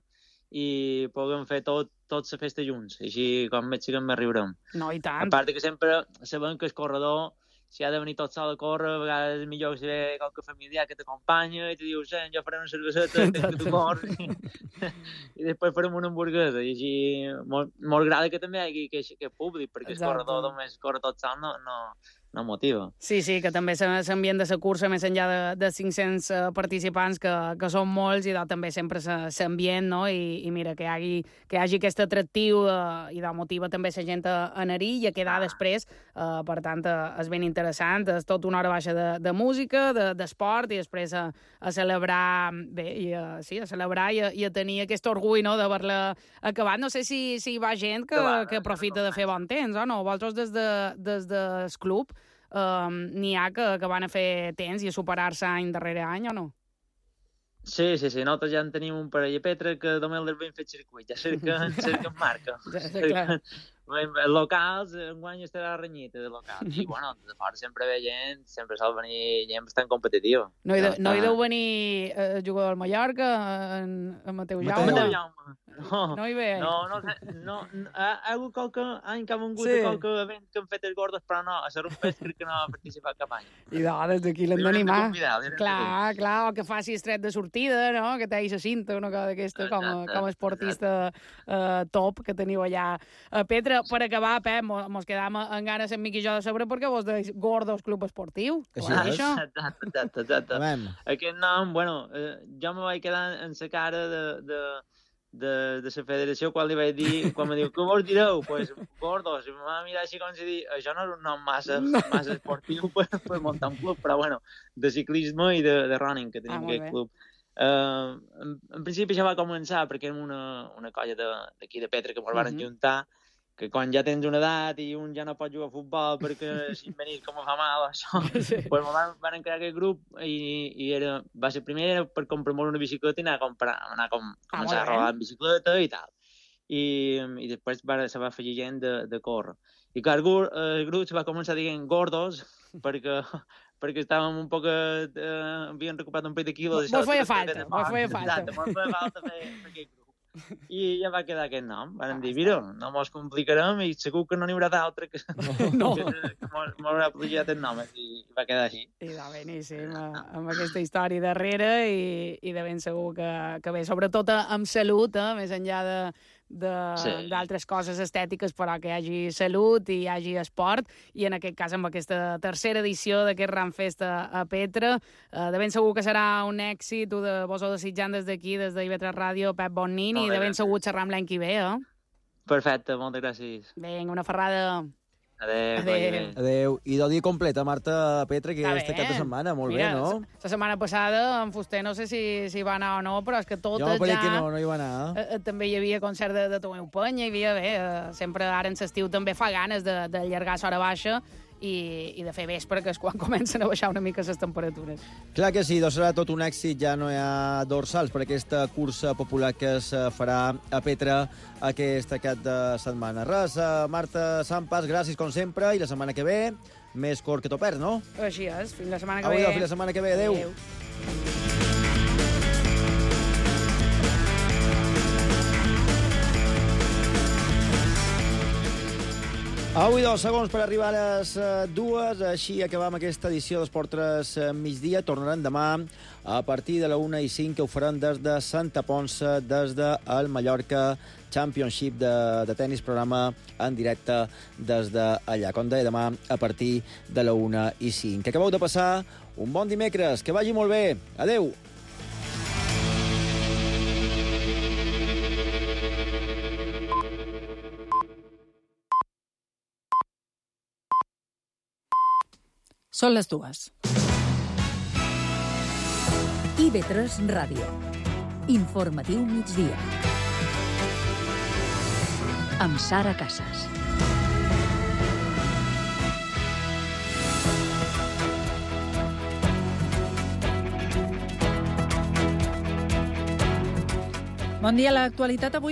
i puguem fer tot la festa junts, així com veig que en riurem. No, i tant. A part que sempre sabem que el corredor, si ha de venir tot sol a córrer, a vegades és millor que si ve qualque familiar que t'acompanya i te diu, jo faré una cerveseta, que tu corres, i després farem una hamburguesa, i així molt agrada que també hi hagi aquest públic, perquè el corredor només corre tot sol no motiva. Sí, que també s'ambient de la cursa, més enllà de 500 participants, que són molts, i també sempre s'ambient, no? I mira, que hi hagi aquest atractiu i motiva també la gent a anar-hi i a quedar després. Per tant, és ben interessant. És tot una hora baixa de música, d'esport, i després a celebrar, a celebrar i a tenir aquest orgull, no?, d'haver-la acabat. No sé si hi va gent que aprofita de fer bon temps, o no? Vosaltres des del club n'hi ha que van a fer temps i a superar-se any darrere any, o no? Sí, nosaltres ja en tenim un parell a Petra que només l'hem fet circuit, ja cerquen marca. Locals, enguany estarà renyit de locals. I, de fora sempre ve gent, sempre sol venir gent bastant competitiva. No hi deu venir el jugador del Mallorca, en Mateu Jaume? No hi ve? No. Ha hagut qualque any que ha vengut a qualque event que han fet els gordos, però no, a la Runfest crec que no ha participat cap any. I des d'aquí l'hem d'animar. Clar, o que faci estret de sortida, no?, que t'hagi la cinta, una cosa d'aquesta, com a esportista top que teniu allà a Petra. Per acabar, Pep, mos quedam en ganes en Miqui i jo de saber per què vos deis Gordos Club Esportiu. Exacte. Aquest nom, jo me vaig quedar en la cara de la federació quan li vaig dir, quan me diu, què vos direu? Pues Gordos. I em va mirar així com si dir, això no és un nom massa esportiu per muntar un club, però de ciclisme i de running que tenim aquest club. En principi ja va començar perquè érem una colla d'aquí de Petra que ens van juntar, que quan ja tens una edat i un ja no pot jugar a futbol perquè si venir com fa mal això, pues van crear aquest grup i va ser primer per comprar una bicicleta i anar a començar a rodar en bicicleta i tal. I després se va afegir gent de córrer. I clar, el grup se va començar dient Gordos perquè estàvem un poc... havíem recuperat un pet de quilos. Mos feia falta. Exacte, mos feia falta fer aquest grup. i ja va quedar aquest nom. Van dir, mira, no mos complicarem i segur que no n'hi haurà d'altre que m'haurà plagiat el nom, i va quedar així. I de beníssim, amb aquesta història darrere i de ben segur que bé, sobretot amb salut, més enllà d'altres coses estètiques, però que hi hagi salut i hi hagi esport, i en aquest cas amb aquesta tercera edició d'aquest Ramfest a Petra, de ben segur que serà un èxit, vos ho desitjant des d'aquí, des d'IV3 Ràdio, Pep Bonnin, i de ben segur xerram l'any que ve, Perfecte, moltes gràcies. Vinga, una ferrada. Adéu. I del dia completa, Marta Petra, que és cap de setmana. Molt bé, no? La setmana passada, en Fuster, no sé si va anar o no, però és que totes ja... Jo ja... que no hi va anar. També hi havia concert de Tomeu Penya, hi havia, sempre ara en l'estiu també fa ganes d'allargar l'hora baixa i de fer vespre, que és quan comencen a baixar una mica les temperatures. Clar que sí, doncs serà tot un èxit, ja no hi ha dorsals per aquesta cursa popular que es farà a Petra aquest cap de setmana. Res, Marta Sampas, gràcies com sempre, i la setmana que ve, més cort que t'ho perds, no? Així és, fins la setmana que ve. Fins la setmana que ve, adéu. Avui 2 segons per arribar a les 2, així acabam aquesta edició d'Esport 3 migdia. Tornaran demà a partir de la 1:05, que ho faran des de Santa Ponça, des del Mallorca Championship de tennis, programa en directe des d'allà. Com deia, demà a partir de la 1:05. Que acabeu de passar un bon dimecres, que vagi molt bé. Adéu! Són les 2. IV3 Ràdio. Informatiu migdia. Amb Sara Casas. Bon dia. L'actualitat avui